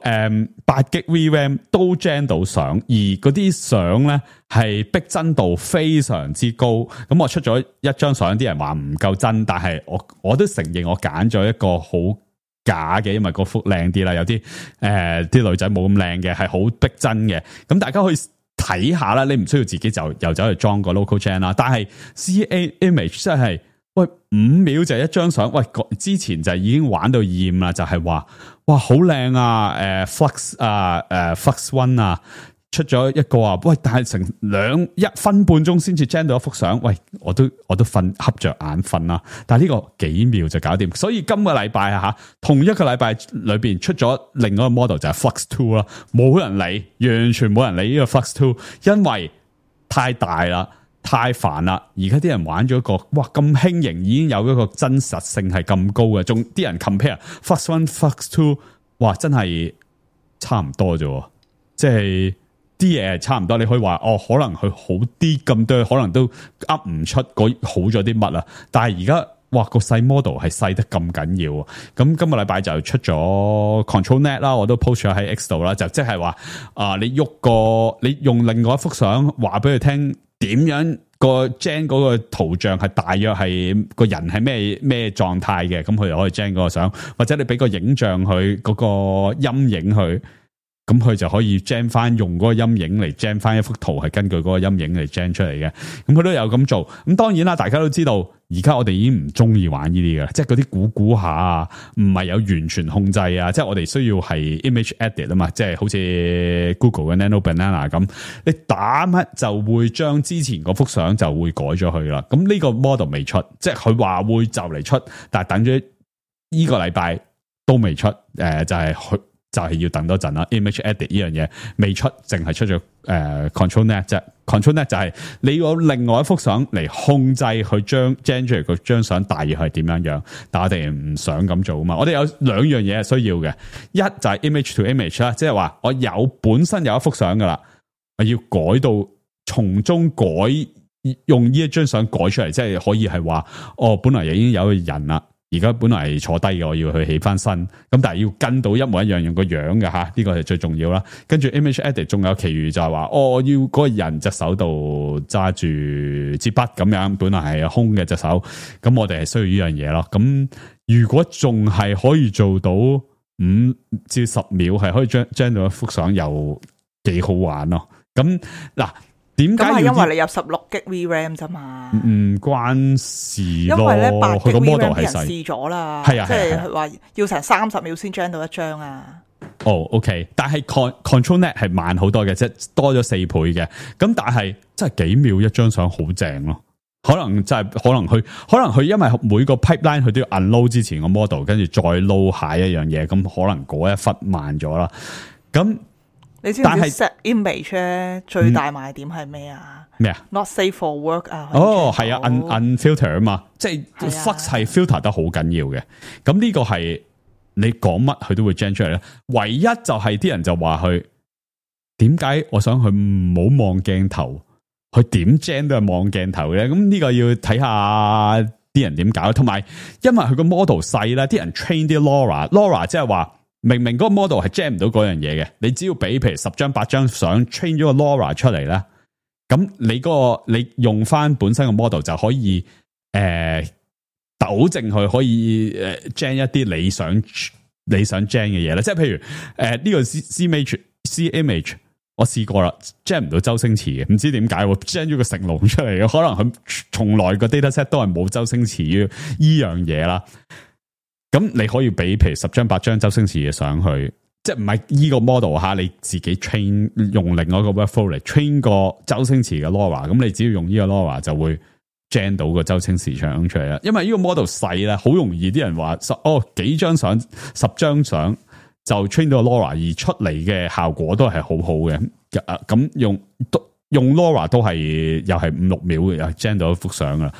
8GB VRAM 都 gen 到相，而嗰啲相咧係逼真度非常之高。咁我出咗一張相，啲人話唔夠真，但係我都承認我揀咗一個好假嘅，因為個幅靚啲啦，有啲啲女仔冇咁靚嘅，係好逼真嘅。咁大家可以睇下啦，你唔需要自己就又走去裝個 local gen 啦。但係 C Image 真係喂5秒就一張相，喂之前就已經玩到厭啦，就係話哇好靚啊，Flux 啊Flux One 啊。出咗一個啊，喂！但係成1分半鐘先至 gen 到一幅相，喂！我都瞌着眼瞓啦。但係呢個幾秒就搞掂，所以今個禮拜啊同一個禮拜裏邊出咗另外一個 model 就係 Flux 2啦，冇人理，完全冇人理呢個 Flux 2，因為太大啦，太煩啦。而家啲人玩咗一個，哇咁輕盈，已經有一個真實性係咁高嘅，仲啲人 compare Flux 1、Flux 2，哇真係差唔多啫，即係。啲嘢係差唔多，你可以話可能佢好啲咁多，可能都噏唔出好咗啲乜啦。但係而家哇個細 model 係細得咁緊要，咁今個禮拜就出咗 ControlNet 啦，我都 post 咗喺 X 度啦，就即係話你用另外一幅相話俾佢聽點樣個 gen 嗰個圖像係大約係個人係咩狀態嘅，咁佢就可以 gen 嗰個相，或者你俾個影像佢嗰個陰影佢。咁佢就可以 gen 翻用嗰個陰影嚟 gen 翻一幅圖，係根據嗰個陰影嚟 gen 出嚟嘅。咁佢都有咁做。咁當然啦，大家都知道，而家我哋已經唔中意玩呢啲嘅，即係嗰啲估下啊，唔係有完全控制啊，即係我哋需要係 image edit 啊嘛，即係好似 Google 嘅 Nano Banana 咁，你打乜就會將之前嗰幅相就會改咗去啦。咁呢個 model 未出，即係佢話會就嚟出，但係等咗呢個禮拜都未出，就係要等多陣啦。Image edit 呢樣嘢未出，淨係出咗Control Net 啫。Control Net 就係你有另外一幅相嚟控制佢將 generate 嗰張相大約係點樣，但我哋唔想咁做啊嘛。我哋有兩樣嘢係需要嘅，一就係 image to image 啦，即係話我本身有一幅相噶啦，我要改到從中改，用呢一張相改出嚟，即係可以係話本來已經有個人啦。而家本來係坐低嘅，我要去起翻身，咁但係要跟到一模一樣用個樣嘅吓，呢個係最重要啦。跟住 image edit 仲有其餘就係話，我要嗰個人隻手度揸住支筆咁樣，本來係空嘅隻手，咁我哋係需要呢樣嘢咯。咁如果仲係可以做到5至10秒係可以將到一幅相，又幾好玩咯。咁嗱。點解？咁係因為你有16GB VRAM 啫嘛，唔關事咯。因為咧8GB 佢個 model 俾人係細試咗啦，係啊，即係話要成30秒先 gen 到一張啊。OK， 但係 Control Net 係慢好多嘅，即係多咗4倍嘅。咁但係真係幾秒一張相好正咯。可能佢因為每個 pipeline 佢都要 unload 之前個 model， 跟住再 load 下一樣嘢，咁可能嗰一忽慢咗啦。咁你知唔知 set image 咧最大賣點係咩啊？咩啊 ？Not safe for work 啊？係啊 ，unfilter 啊嘛，即係 flux 係 filter 得好緊要嘅。咁呢個係你講乜佢都會 gen 出嚟咧。唯一就係啲人就話佢點解我想佢唔好望鏡頭，佢點 gen 都係望鏡頭嘅。咁呢個要睇下啲人點搞。同埋因為佢個 model 細啦，啲人 train 啲 LoRa 即係話。明明嗰個 model 係 gen 唔到嗰樣嘢嘅，你只要俾譬如10張8張相 train 咗個 LoRa 出嚟咧，咁你用翻本身個 model 就可以糾正佢，可以gen 一啲你想 gen 嘅嘢啦。即係譬如呢個 C image 我試過啦 gen 唔到周星馳嘅，唔知點解 gen 咗個成龍出嚟嘅，可能佢從來個 dataset 都係冇周星馳依樣嘢啦。咁你可以俾譬如10張8張周星馳嘅上去，即係唔係依個 model 吓，你自己 train 用另外一個 workflow 嚟 train 個周星馳嘅 LoRa， 咁你只要用呢個 LoRa 就會 gen 到個周星馳相出嚟啦。因為呢個 model 細咧，好容易啲人話幾張相10張相就 train 到個 LoRa， 而出嚟嘅效果都係好好嘅。咁用 LoRa 都係又係5-6秒嘅，又 gen 到一幅相啦。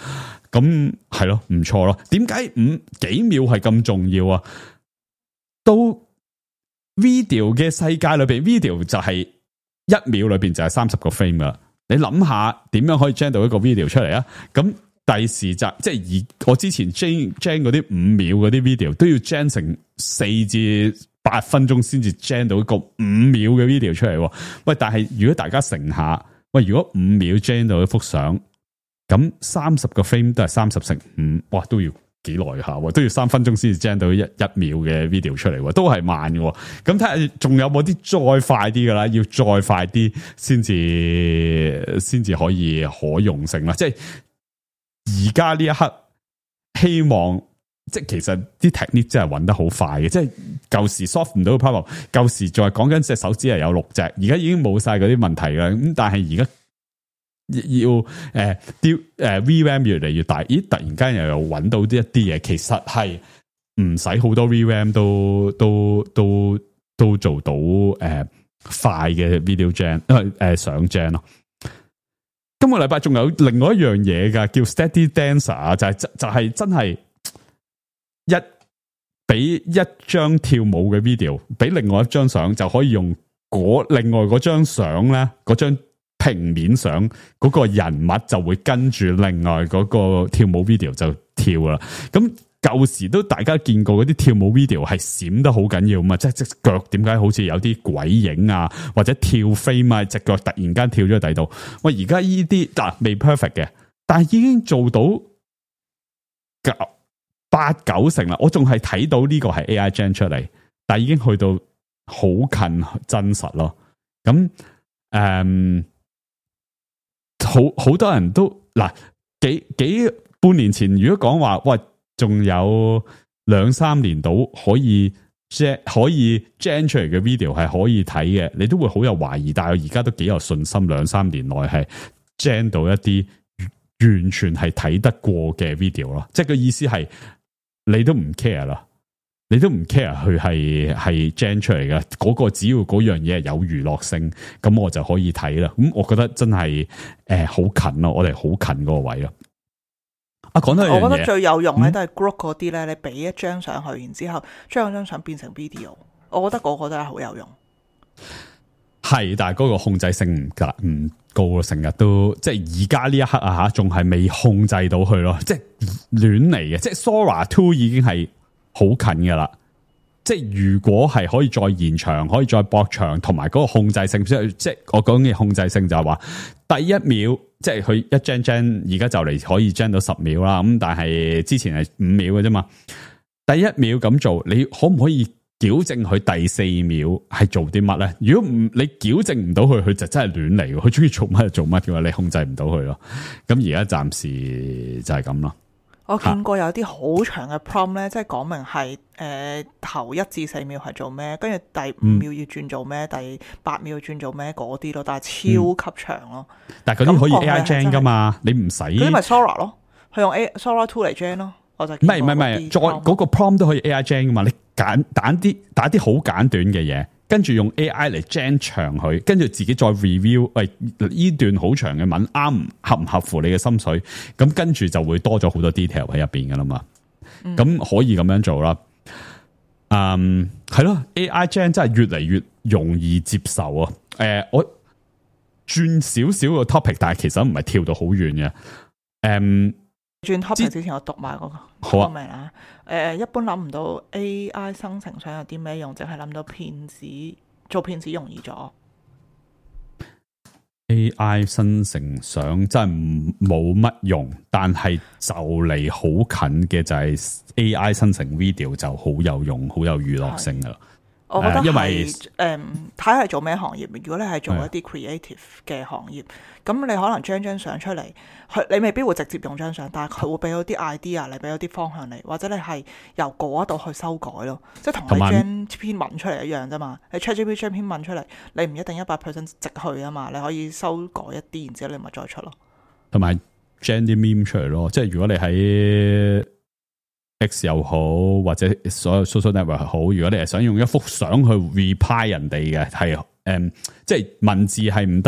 咁係咯，唔錯咯。點解幾秒係咁重要啊？都 video 嘅世界裏邊 ，video 就係1秒裏邊就係30個 frame 噶。你諗下點樣可以 gen 到一個 video 出嚟啊？咁第時即係我之前 gen 嗰啲5秒嗰啲 video 都要 gen 成4至8分鐘先至 gen 到一個5秒嘅 video 出嚟。喂，但係如果大家乘下，喂，如果5秒 gen 到一幅相。咁30個 frame 都係30乘5，哇，都要幾耐下，都要3分鐘先至 gen 到一秒嘅 video 出嚟，都係慢嘅。咁睇下仲有冇啲再快啲噶啦，要再快啲先至可以可用性啦。即係而家呢一刻，希望即係其實啲 technique 真係揾得好快嘅，即係舊時 solve 唔到嘅 problem， 舊時仲係講緊隻手指係有6隻，而家已經冇晒嗰啲問題啦。咁但係而家。要VRAM 越嚟越大，咦？突然間又揾到一啲嘢，其實係唔使好多 VRAM 都做到快嘅 video gen 相 gen 咯。今個禮拜仲有另外一樣嘢噶，叫 Steady Dancer， 就係真係俾一張跳舞嘅 video， 俾另外一張相就可以用另外嗰張相咧，嗰張。平面上嗰個人物就會跟住另外嗰個跳舞 video 就跳啦。咁舊時都大家見過嗰啲跳舞 video 係閃得好緊要嘛，即係隻腳點解好似有啲鬼影啊，或者跳飛嘛，隻腳突然間跳咗去第度。喂，而家呢啲未 perfect 嘅，但係已經做到8-9成啦。我仲係睇到呢個係 AI gen 出嚟，但係已經去到好近真實咯。咁好多人都嗱幾半年前，如果講話喂，仲有2-3年到可以 gen 出嚟嘅 video 係可以睇嘅，你都會好有懷疑。但係我而家都幾有信心，2-3年內係 gen 到一啲完全係睇得過嘅 video 咯。即係個意思係你都唔 care 啦，你都唔 care 佢係 gen 出嚟嘅嗰個，只要嗰樣嘢係有娛樂性，咁我就可以睇啦。咁我覺得真係好近咯，我哋好近嗰個位咯。講到我覺得最有用咧都係 group 嗰啲咧，你俾一張上去，然之後將嗰張相變成 video， 我覺得嗰個都係好有用。係，但係嗰個控制性唔高咯，成日都即係而家呢一刻啊吓，仲係未控制到佢咯，即係亂嚟嘅。即係 Sora 2已經係好近噶啦，即係如果係可以再延長，可以再駁長，同埋嗰個控制性，即係我講嘅控制性就係話第一秒。即係佢一 gen 而家就嚟可以 gen 到10秒啦，咁但係之前係5秒嘅啫嘛。第一秒咁做，你可唔可以矯正佢第4秒係做啲乜咧？如果唔你矯正唔到佢，佢就真係亂嚟，佢中意做乜就做乜嘅話，你控制唔到佢咯。咁而家暫時就係咁咯。我見過有啲好長嘅 prompt 咧，即係講明係頭1至4秒係做咩，跟住第5秒要轉做咩，第8秒要轉做咩嗰啲咯，但係超級長咯。但係嗰啲可以 AI gen 噶嘛，你唔使。嗰啲咪 Sora 咯，佢用 Sora 2嚟 gen 咯。我就唔係，再嗰個 prompt 都可以 AI gen 噶嘛，你打啲好簡短嘅嘢。跟住用 AI 嚟 gen 長佢，跟住自己再 review， 喂，呢段好長嘅文合唔合乎你嘅心水？咁跟住就會多咗好多 detail 喺入邊噶啦嘛。咁可以咁樣做啦。係咯 ，AI gen 真係越嚟越容易接受啊。我轉少少個 topic， 但係其實唔係跳到好遠嘅。轉 topic 之前我讀埋嗰個好明啦。一般諗唔到 AI 生成相有啲咩用，淨係諗到做騙子容易咗。AI 生成相真係冇乜用，但係就嚟好近嘅就係 AI 生成 video 就好有用，好有娛樂性噶啦。我覺得因為睇下係做咩行業。如果你係做一啲 creative 嘅行業，咁你可能張相出嚟，你未必會直接用張相，但係佢會俾到啲 idea 嚟，俾到啲方向嚟，或者你係由嗰度去修改咯，即係同你將篇文出嚟一樣啫嘛。你 ChatGPT 將篇文出嚟，你唔一定100% 直去啊嘛，你可以修改一啲，然之後你咪再出咯。同埋 gen 啲 meme 出嚟咯，即係如果你喺X 又好，或者所有 social network 好，如果你係想用一幅相去 reply 人哋嘅，係即係文字係唔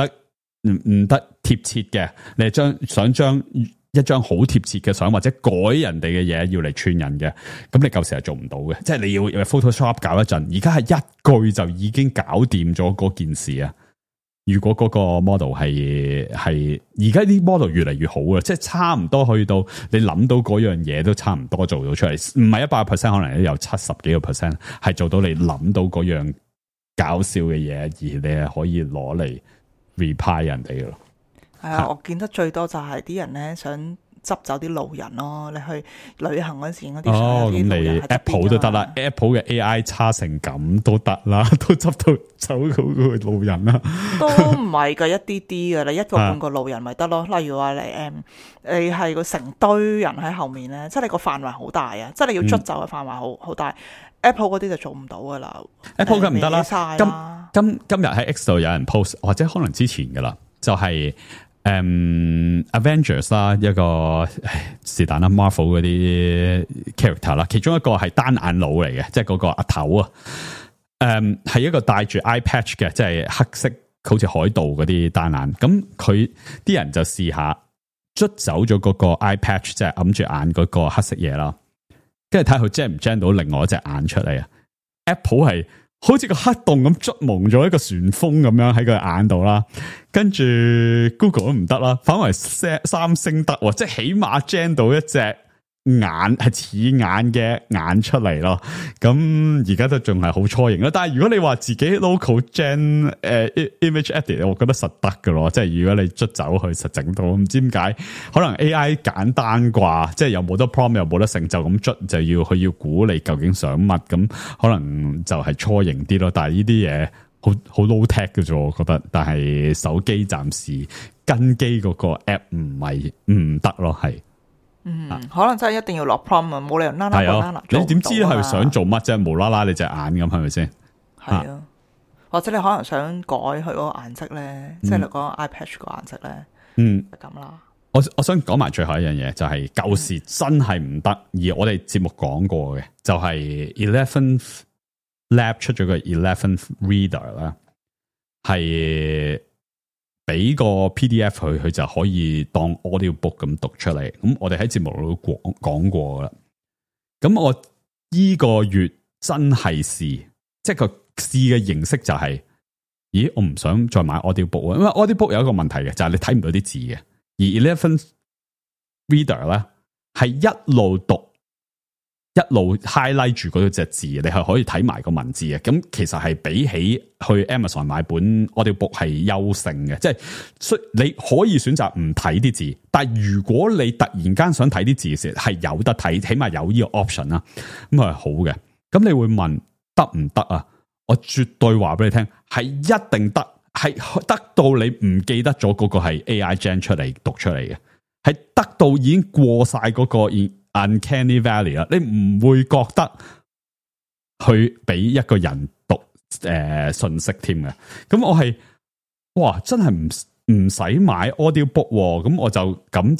得貼切嘅，你係想將一張好貼切嘅相或者改人哋嘅嘢要嚟串人嘅，咁你舊時係做唔到嘅，即係你要 Photoshop 搞一陣，而家係一句就已經搞掂咗嗰件事啊！如果嗰個 model 係而家啲 model 越嚟越好啊，即係差唔多去到你諗到嗰樣嘢都差唔多做到出嚟，唔係100%，可能都有70幾個%係做到你諗到嗰樣搞笑嘅嘢，而你係可以攞嚟 reply 人哋嘅咯。係啊，我見得最多就係啲人咧想執走啲路人咯，你去旅行嗰時嗰啲相，咁你 Apple 都得啦，Apple 嘅 AI 差成咁都得啦，都執到走嗰個路人啦，都唔係噶，一啲啲噶，你一個半個路人咪得咯。例如話你係個成堆人喺後面咧，即係你個範圍好大啊，即係你要捽走嘅範圍好大。Apple 嗰啲就做唔到噶啦 ，Apple 梗唔得啦。今日喺 X 度有人 post， 或者可能之前噶啦，就係Avengers 啦，一個是但啦 Marvel 嗰啲 character 啦，其中一個係單眼佬嚟嘅，即係嗰個阿頭啊，係一個戴住 eye patch 嘅，即係黑色好似海盜嗰啲單眼，咁佢啲人就試下捽走咗嗰個 eye patch， 即係揞住眼嗰個黑色嘢啦，跟住睇佢 gen 唔 gen 到另外一隻眼出嚟啊 ！Apple 係好似個黑洞咁捽蒙咗一個旋風咁樣喺佢眼度啦，跟住 Google 都唔得啦，反為三星得，即係起碼 gen 到一隻係似眼嘅眼出嚟咯，咁而家都仲係好初型咯。但係如果你話自己 local gen image edit， 我覺得實得㗎咯。即係如果你捽走去實整到，唔知點解可能 AI 簡單啩，即係又冇得 prompt 又冇得成就咁捽，就要佢要估你究竟想乜，咁可能就係初型啲咯。但係呢啲嘢好 low tech 嘅啫，我覺得。但係手機暫時跟機嗰個 app 唔得咯，係。可能真係一定要落 prompt 啊，冇理由啦啦你點知係想做乜啫？無啦啦你隻眼咁係咪先？係啊，或者你可能想改佢嗰個顏色咧，即係你講 iPad 個顏色咧，就咁啦。我想講埋最後一樣嘢，就係舊時真係唔得，而我哋節目講過嘅，就係 11th Lab 出咗個 11th Reader 啦，係。俾個 PDF 佢就可以當 audio book 咁讀出嚟。咁我哋喺節目度講過啦。咁我依個月真係試，即係個試嘅形式就係，咦，我唔想再買 audio book，因為 audio book 有一個問題嘅，就係你睇唔到啲字嘅。而 11th Reader 咧係一路讀，一路 highlight 住嗰隻字，你係可以睇埋個文字嘅。咁其實係比起去 Amazon 買本 audiobook 係優勝嘅，即係你可以選擇唔睇啲字，但係如果你突然間想睇啲字嘅時候，係有得睇，起碼有呢個 option 啦，咁係好嘅。咁你會問得唔得啊？我絕對話俾你聽，係一定得，係得到你唔記得咗嗰個係 AI gen 出嚟讀出嚟嘅，係得到已經過晒嗰個 Uncanny Valley 啦，你唔會覺得去俾一個人讀信息添嘅。咁我係哇，真係唔使買 audio book，咁我就抌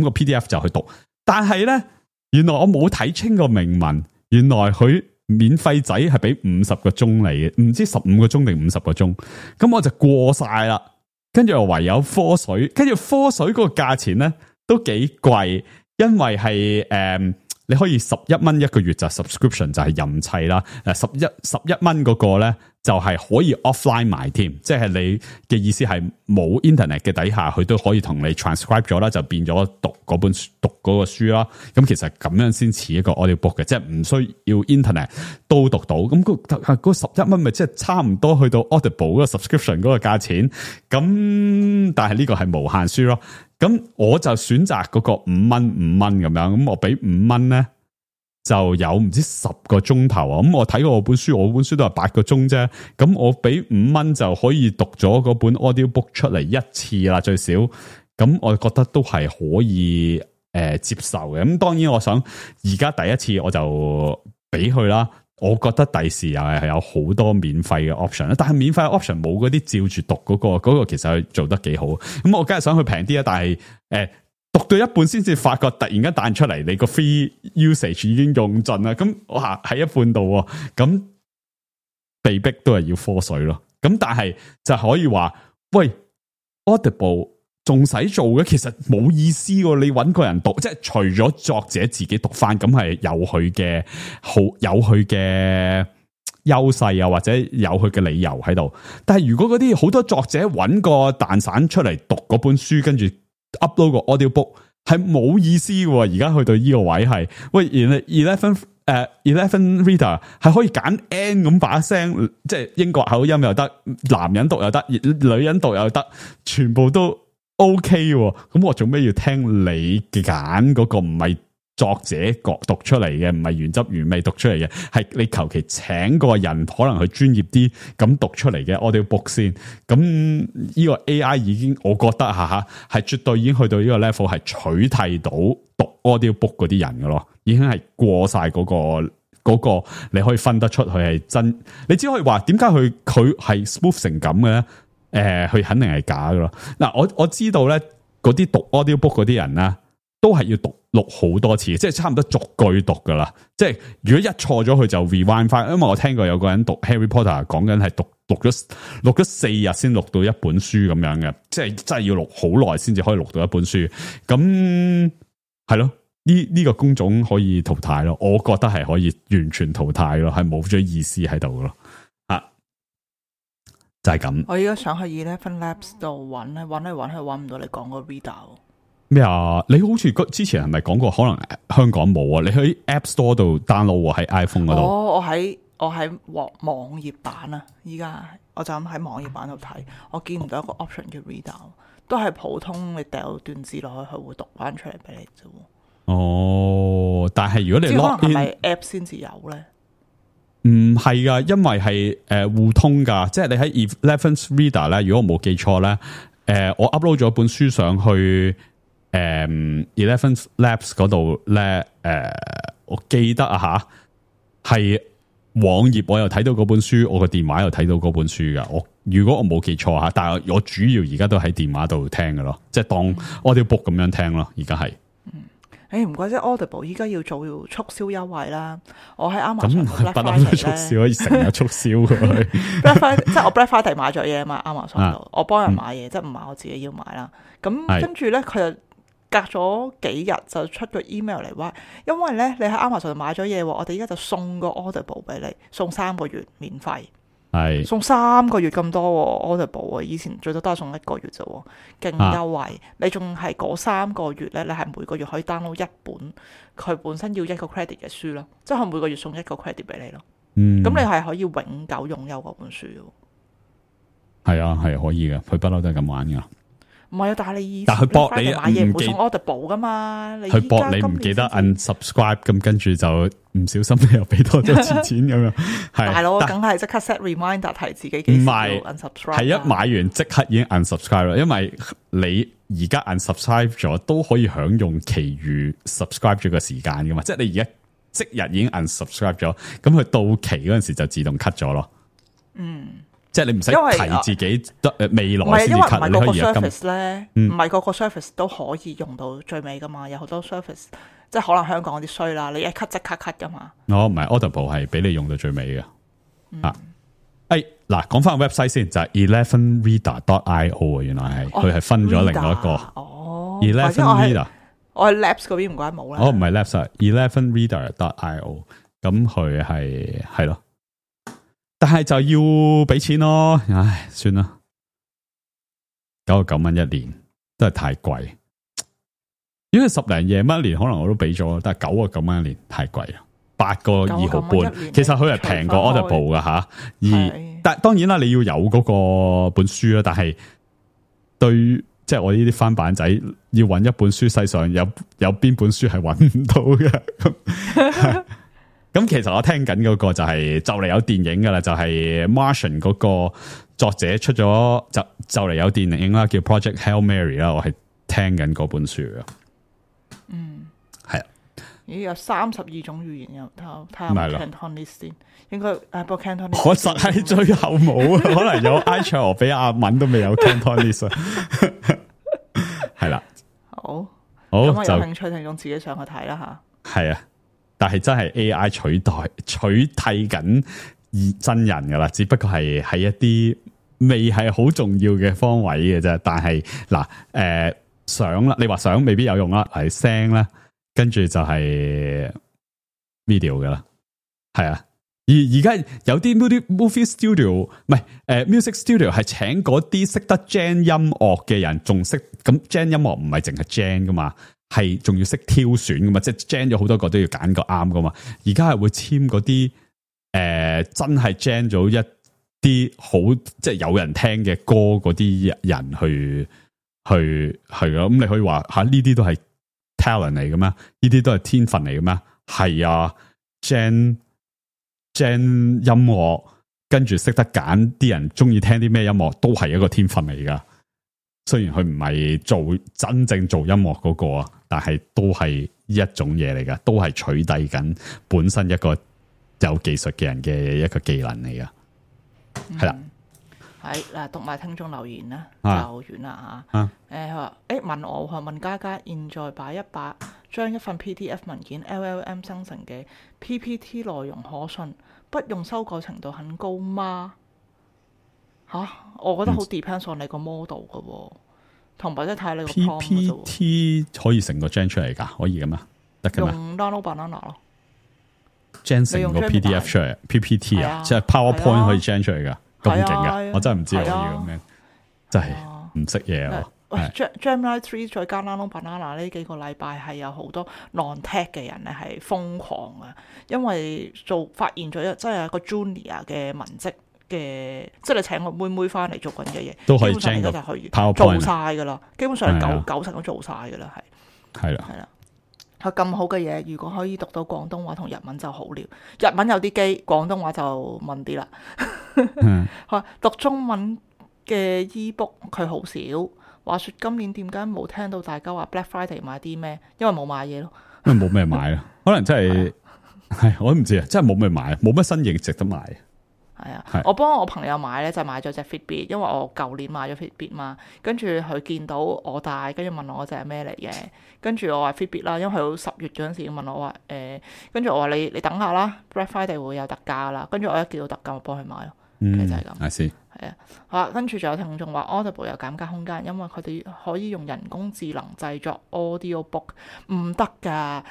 個 PDF 就去讀。但係咧，原來我冇睇清個明文，原來佢免費仔係俾50個鐘嚟嘅，唔知15個鐘定50個鐘。咁我就過晒啦，跟住唯有科水，跟住科水嗰個價錢咧都幾貴。因為係你可以11蚊一個月就 subscription 就係任砌啦，11蚊嗰個咧就係可以 offline 埋添，即係你嘅意思係冇 internet 嘅底下，佢都可以同你 transcribe 咗啦，就變咗讀嗰個書啦。咁其實咁樣先似一個 audio book 嘅，即係唔需要 internet 都讀到。咁嗰11蚊咪即係差唔多去到 Audible 嗰個 subscription 嗰個價錢。咁但係呢個係無限書咯。咁我就選擇嗰個5蚊咁樣，咁我俾5蚊咧就有唔知10個鐘頭啊！咁我睇過我本書都係8個鐘啫。咁我俾5蚊就可以讀咗嗰本 audio book 出嚟一次啦，最少。咁我覺得都係可以接受嘅。咁當然我想而家第一次我就俾佢啦。我覺得第時又係有好多免費嘅 option， 但係免費嘅 option 冇嗰啲照住讀嗰個其實係做得幾好。咁我梗係想去平啲啊，但係讀到一半先至發覺突然間彈出嚟，你個 free usage 已經用盡啦。咁我喺一半度，咁被逼都係要科水咯。咁但係就可以話，喂 Audible。仲使做嘅，其實冇意思喎。你搵個人讀，即係除咗作者自己讀翻，咁係有佢嘅有佢嘅優勢啊，或者有佢嘅理由喺度。但係如果嗰啲好多作者搵個蛋散出嚟讀嗰本書，跟住 upload 個 audio book，係冇意思嘅。而家去到呢個位係，喂 11 reader 係可以揀 N 咁把聲，即係英國口音又得，男人讀又得，女人讀又得，全部都。OK 喎，咁我做咩要聽你揀嗰個唔係作者讀出嚟嘅，唔係原汁原味讀出嚟嘅，係你求其請個人可能佢專業啲咁讀出嚟嘅 audio book 先。咁呢個 AI 已經我覺得係絕對已經去到呢個 level 係取替到讀 audio book 嗰啲人㗎咯，已經係過晒嗰個你可以分得出佢係真。你只可以話點解佢係 smooth 成咁嘅咧？佢肯定係假噶咯。嗱，我知道咧，嗰啲讀 audio book 嗰啲人咧，都係要錄好多次，即係差唔多逐句讀噶啦。即係如果一錯咗，佢就 rewind 翻。因為我聽過有個人讀 Harry Potter 講緊係錄咗4日先錄到一本書咁樣嘅，即係真係要錄好耐先至可以錄到一本書。咁係咯，呢個工種可以淘汰咯。我覺得係可以完全淘汰咯，係冇咗意思喺度咯。就係咁。我而家想去11 Labs 度揾去揾唔到你講個 reader。咩啊？你好似之前係咪講過可能香港冇啊？你喺 App Store 度 download 喺 iPhone 嗰度。我喺網頁版啊，依家我就咁喺網頁版度睇，我見唔到一個 option 叫 reader， 都係普通你掉段字落去，佢會讀翻出嚟俾你啫。哦，但係如果你 log in 可能係咪 app 先至有咧？唔係噶，因為係互通噶，即係你喺 Eleventh Reader 咧，如果我冇記錯咧，我 upload 咗本書上去Eleventh Labs 嗰度咧，我記得啊吓，係網頁我又睇到嗰本書，我個電話又睇到嗰本書噶。如果我冇記錯吓，但係我主要而家都喺電話度聽噶咯，即係當 audiobook 咁樣聽咯，而家係。唔怪之 Audible 依家要做促銷優惠啦！我喺 Amazon Black Friday 促銷可以成日促銷佢。Black Friday 即係我 Black Friday 買咗嘢啊嘛 ，Amazon 度我幫人買嘢，即係唔係我自己要買啦。咁跟住咧，佢就隔咗幾日就出個 email 嚟話，因為咧你喺 Amazon 度買咗嘢，我哋依家就送個 Audible 俾你，送3個月免費。係送3個月咁多 Audible 啊！以前最多都係送1個月啫，勁優惠。你仲係嗰3個月咧，你係每個月可以 download 一本佢本身要1個 credit 嘅書咯，即係佢每個月送1個 credit 俾你咯。咁你係可以永久擁有嗰本書嘅。係啊，係可以嘅，佢不嬲都係咁玩噶。唔係啊，但係你以前佢博你買嘢唔會送 Audible 噶嘛？佢博你唔記得 unsubscribe， 咁跟住就唔小心你又俾多咗錢咁樣。係大佬，梗係即刻 set reminder 提自己幾時要 unsubscribe。係一買完即刻已經 unsubscribe 啦，因為你而家 unsubscribe 咗都可以享用其餘 subscribe 咗嘅時間噶嘛。即係你而家即日已經 unsubscribe 咗，咁佢到期嗰陣時就自動 cut 咗咯。即係你唔使提自己未來先至 cut，你可以而家service 咧，唔係個個 service 都可以用到最尾噶嘛，有好多 service 即係可能香港啲衰啦，你一 cut 即刻 cut 噶嘛。唔係 Audible 係俾你用到最尾嘅。嗱，講翻個 website 先，就係 11reader.io 啊，原來係佢係分咗另外一個。11reader， 我喺 Labs 嗰邊唔怪冇啦。唔係 Labs 啊 ，11reader.io， 咁佢係咯。但係就要俾錢咯，唉，算啦，99蚊一年都係太貴。如果10零夜蚊一年，可能我都俾咗，但係99蚊一年太貴啦，8個2毫半。其實佢係平過 Audible 噶吓，但當然啦，你要有嗰個本書啦。但係對即係我呢啲翻版仔，要揾一本書，世上有邊本書係揾唔到嘅。咁其實我聽緊嗰個就嚟有電影噶啦，就係 Martian 嗰個作者出咗就嚟有電影啦，叫 Project Hail Mary 啦，我係聽緊嗰本書啊。係啊。咦，有32種語言又睇下 Cantonese 先，應該不過 Cantonese 我實係最後冇啊，可能有埃塞俄比亞文都未有 Cantonese 啊。係啦，好，咁我有興趣聽眾自己上去睇啦吓。係啊。但係真係 AI 取替緊真人噶啦，只不過係喺一啲未係好重要嘅方位嘅啫。但係嗱，相啦，你話相未必有用啦，係聲啦，跟住就係 video 噶啦，係啊。而家有啲 movie studio 唔係music studio 係請嗰啲識得 gen 音樂嘅人，仲識咁 gen 音樂唔係淨係 gen 噶嘛。係仲要識挑選噶嘛，即係 gen 咗好多個都要揀個啱噶嘛。而家係會簽嗰啲真係 gen 咗一啲好即係有人聽嘅歌嗰啲人去係咯。咁你可以話吓呢啲都係 talent 嚟嘅咩？呢啲都係天分嚟嘅咩？係啊 ，gen 音樂跟住識得揀啲人中意聽啲咩音樂，都係一個天分嚟噶。雖然佢唔係真正做音樂嗰個啊，但係都係一種嘢嚟噶，都係取締緊本身一個有技術嘅人嘅一個技能嚟噶。係啦，係嗱，讀埋聽眾留言啦，就完啦吓。佢話問我問嘉嘉，現在將一份 PDF 文件 LLM 生成嘅 PPT 內容可信，不用修改程度很高嗎？我覺得好 depends on 你個 model 噶，同埋即係睇你個 PPT 可以成個 gen 出嚟噶，可以噶嘛？得噶嘛？用 download banana 咯 ，gen 成個 PDF 出嚟 ，PPT 啊，即係 PowerPoint 可以 gen 出嚟噶，咁勁噶，我真係唔知可以咁樣，真係唔識嘢啊！喂 Gemini 3再加 Nano Banana 呢幾個禮拜係有好多 non-tech 嘅人咧係瘋狂啊，因為發現咗即係一個 junior 嘅文職嘅，即係你請個妹妹翻嚟做緊嘅嘢，都可以基本上而家就可以 PowerPoint 做晒噶啦，基本上九成都做晒噶啦，係啦。佢咁好嘅嘢，如果可以讀到廣東話同日文就好了。日文有啲機，廣東話就問啲啦。讀中文嘅 e-book 佢好少。話說今年點解冇聽到大家話 Black Friday 買啲咩？因為冇買嘢咯。因為冇咩買啦，可能真係我都唔知啊，真係冇咩買，冇乜新嘢值得買。係啊，我幫我朋友買咧就買咗隻 Fitbit，因為我舊年買咗 Fitbit 嘛，跟住佢見到我戴，跟住問我隻係咩嚟嘅，跟住我話 Fitbit 啦，因為佢10月嗰陣時問我話跟住我話你等下啦 ，Black Friday 會有特價啦，跟住我一見到特價我幫佢買咯，其實就係咁。係啊，好，跟住仲有聽眾話 Audible 有減價空間，因為佢哋可以用人工智能製作 audio book， 唔得㗎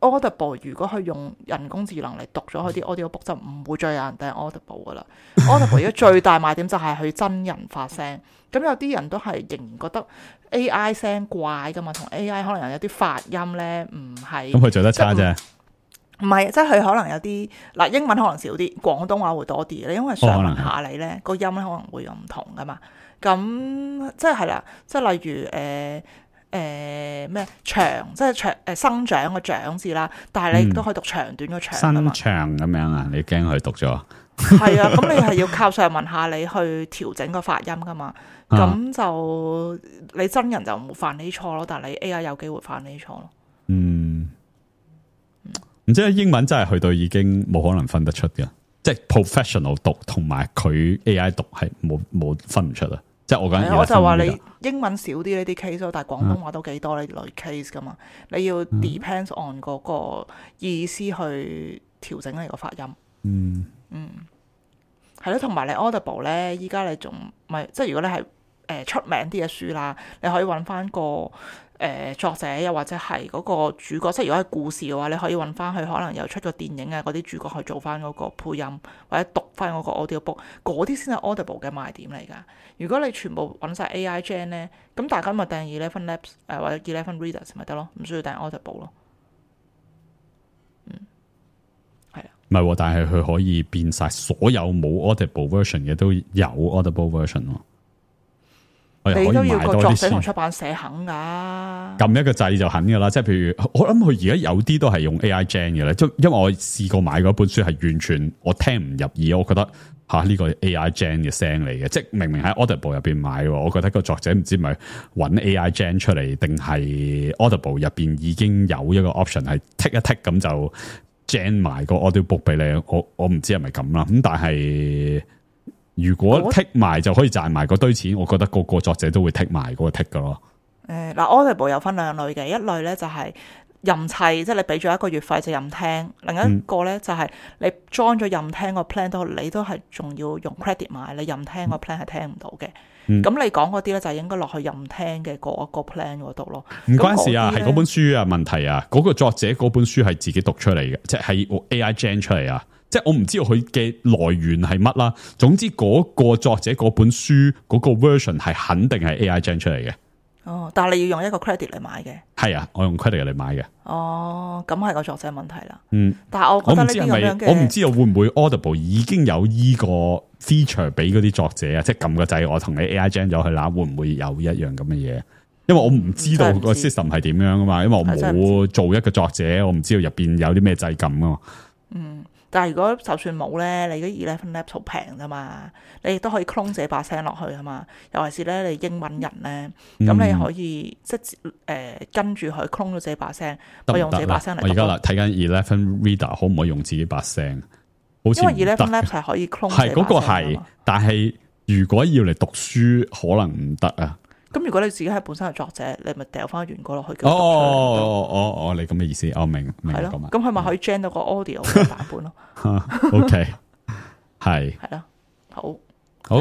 Audible 如果佢用人工智能嚟讀咗佢啲 audio book 就唔會再有人訂 Audible 噶啦。Audible 而家最大賣點就係佢真人發聲，咁有啲人都係仍然覺得 AI 聲怪噶嘛，同 AI 可能有啲發音咧唔係。咁佢做得差啫。唔係，即係佢可能有啲嗱英文可能少啲，廣東話會多啲咧，因為上文下理咧個音咧可能會有唔同噶嘛。咁即係啦，即係例如咩長，即係生長個長字啦，但係你都可以讀長短個長噶嘛。生長咁樣啊？你驚佢讀咗？係啊，咁你係要靠上文下理去調整個發音噶嘛。咁就你真人就唔會犯呢錯咯，但係你 AI 有機會犯呢錯咯。唔知英文真係去到已經冇可能分得出嘅，即係 professional 讀同埋佢 AI 讀係冇分唔出啊！即係我就話你英文少啲呢啲 case 咯，但係廣東話都幾多呢類 case 噶嘛，你要 depends on 嗰個意思去調整你個發音。係咯，同埋你 Audible 咧，依家你仲咪即係如果你係出名啲嘅書啦，你可以揾翻個作者，又或者係嗰個主角，即係如果係故事嘅話，你可以揾翻佢可能有出過電影啊嗰啲主角去做翻嗰個配音，或者讀翻嗰個 audio book， 嗰啲先係 Audible 嘅賣點嚟㗎。如果你全部揾晒 AI Gen 咧，咁大家咪訂11 Labs 或者11 Readers 咪得咯，唔需要訂 Audible 咯。係啊，唔係，但係佢可以變晒所有冇 Audible version 嘅都有 Audible version 喎。你都要個作者同出版社肯噶，撳一個掣就肯噶啦。即係譬如我諗佢而家有啲都係用 AI Gen 嘅咧，即因為我試過買嗰本書係完全我聽唔入耳，我覺得呢個 AI Gen 嘅聲嚟嘅，即係明明喺 Audible 入邊買，我覺得個作者唔知咪揾 AI Gen 出嚟，定係 Audible 入邊已經有一個 option 係剔一剔咁就 Gen 埋個 audio book 俾你，我唔知係咪咁啦。咁但係如果剔埋就可以賺埋嗰堆錢，我覺得個作者都會剔埋嗰個剔噶咯。Audible 有分兩類嘅，一類咧就係任砌，即係你俾咗一個月費就任聽；另一個咧就係你 join 咗任聽個 plan 都，你都係仲要用 credit 買，你任聽個 plan 係聽唔到嘅。咁你講嗰啲咧就應該落去任聽嘅嗰個 plan 嗰度咯。唔關事啊，係嗰本書啊問題啊，嗰個作者嗰本書係自己讀出嚟嘅，即係 AI Gen 出嚟啊。即係我唔知道佢嘅來源係乜啦，總之嗰個作者嗰本書嗰個 version 係肯定係 AI Gen 出嚟嘅。哦，但係你要用一個 credit 嚟買嘅。係啊，我用 credit 嚟買嘅。哦，咁係個作者問題啦。但係我覺得呢啲咁樣嘅，我唔知道會唔會 Audible 已經有依個 feature 俾嗰啲作者啊，即係撳個掣，我同你 AI Gen 咗佢啦，會唔會有一樣咁嘅嘢？因為我唔知道個 system 係點樣噶嘛，因為我冇做一個作者，我唔知道入邊有啲咩掣撳噶嘛。但係如果就算冇咧，你嗰11 Labs 好平啫嘛，你亦都可以 clone 自己把聲落去啊嘛。尤其是咧，你英文人咧，咁你可以即係跟住佢 clone 咗自己把聲，我用自己把聲嚟。我而家睇緊11 Reader 可唔可以用自己把聲？好似因為11 Labs 係可以 clone 自己把聲。係嗰個係，但係如果要嚟讀書，可能唔得啊。咁如果你自己係本身係作者，你咪掉翻原稿落去。哦，你咁嘅意思，我明係咯。咁佢咪可以 gen 到個 audio 嘅版本咯。OK， 係咯，好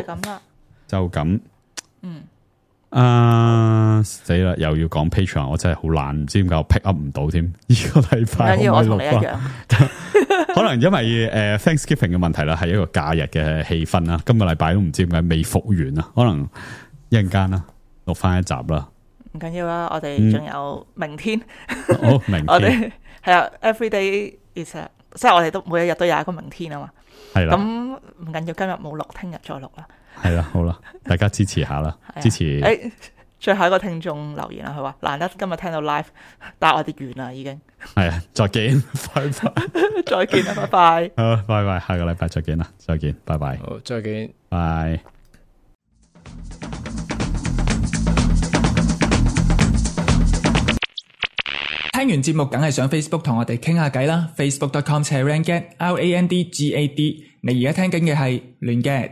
咁啦，就咁。死啦！又要講 Patreon，我真係好懶，唔知點解我 pick up 唔到添。呢個禮拜我同你一樣，可能因為Thanksgiving 嘅問題啦，係一個假日嘅氣氛啦。今個禮拜都唔知點解未復完啊，可能一陣間啦。錄翻一集啦。唔緊要啦，我哋仲有明天。好，明天我哋係啊 ，every day is a， 即係我哋都每一日都有一個明天啊嘛。係啦。咁唔緊要，今日冇錄，聽日再錄啦。係啦，好啦，大家支持下啦，支持。最後一個聽眾留言啦，佢話難得今日聽到 live， 但係我哋完啦已經。係啊，再見，拜拜。再見啦，拜拜。好，拜拜，下個禮拜再見啦，再見，拜拜。好，再見，拜。聽完節目梗係上 Facebook 同我哋傾下偈啦 ，facebook.com/randgad，RANDGAD。你而家聽緊嘅係亂 gad。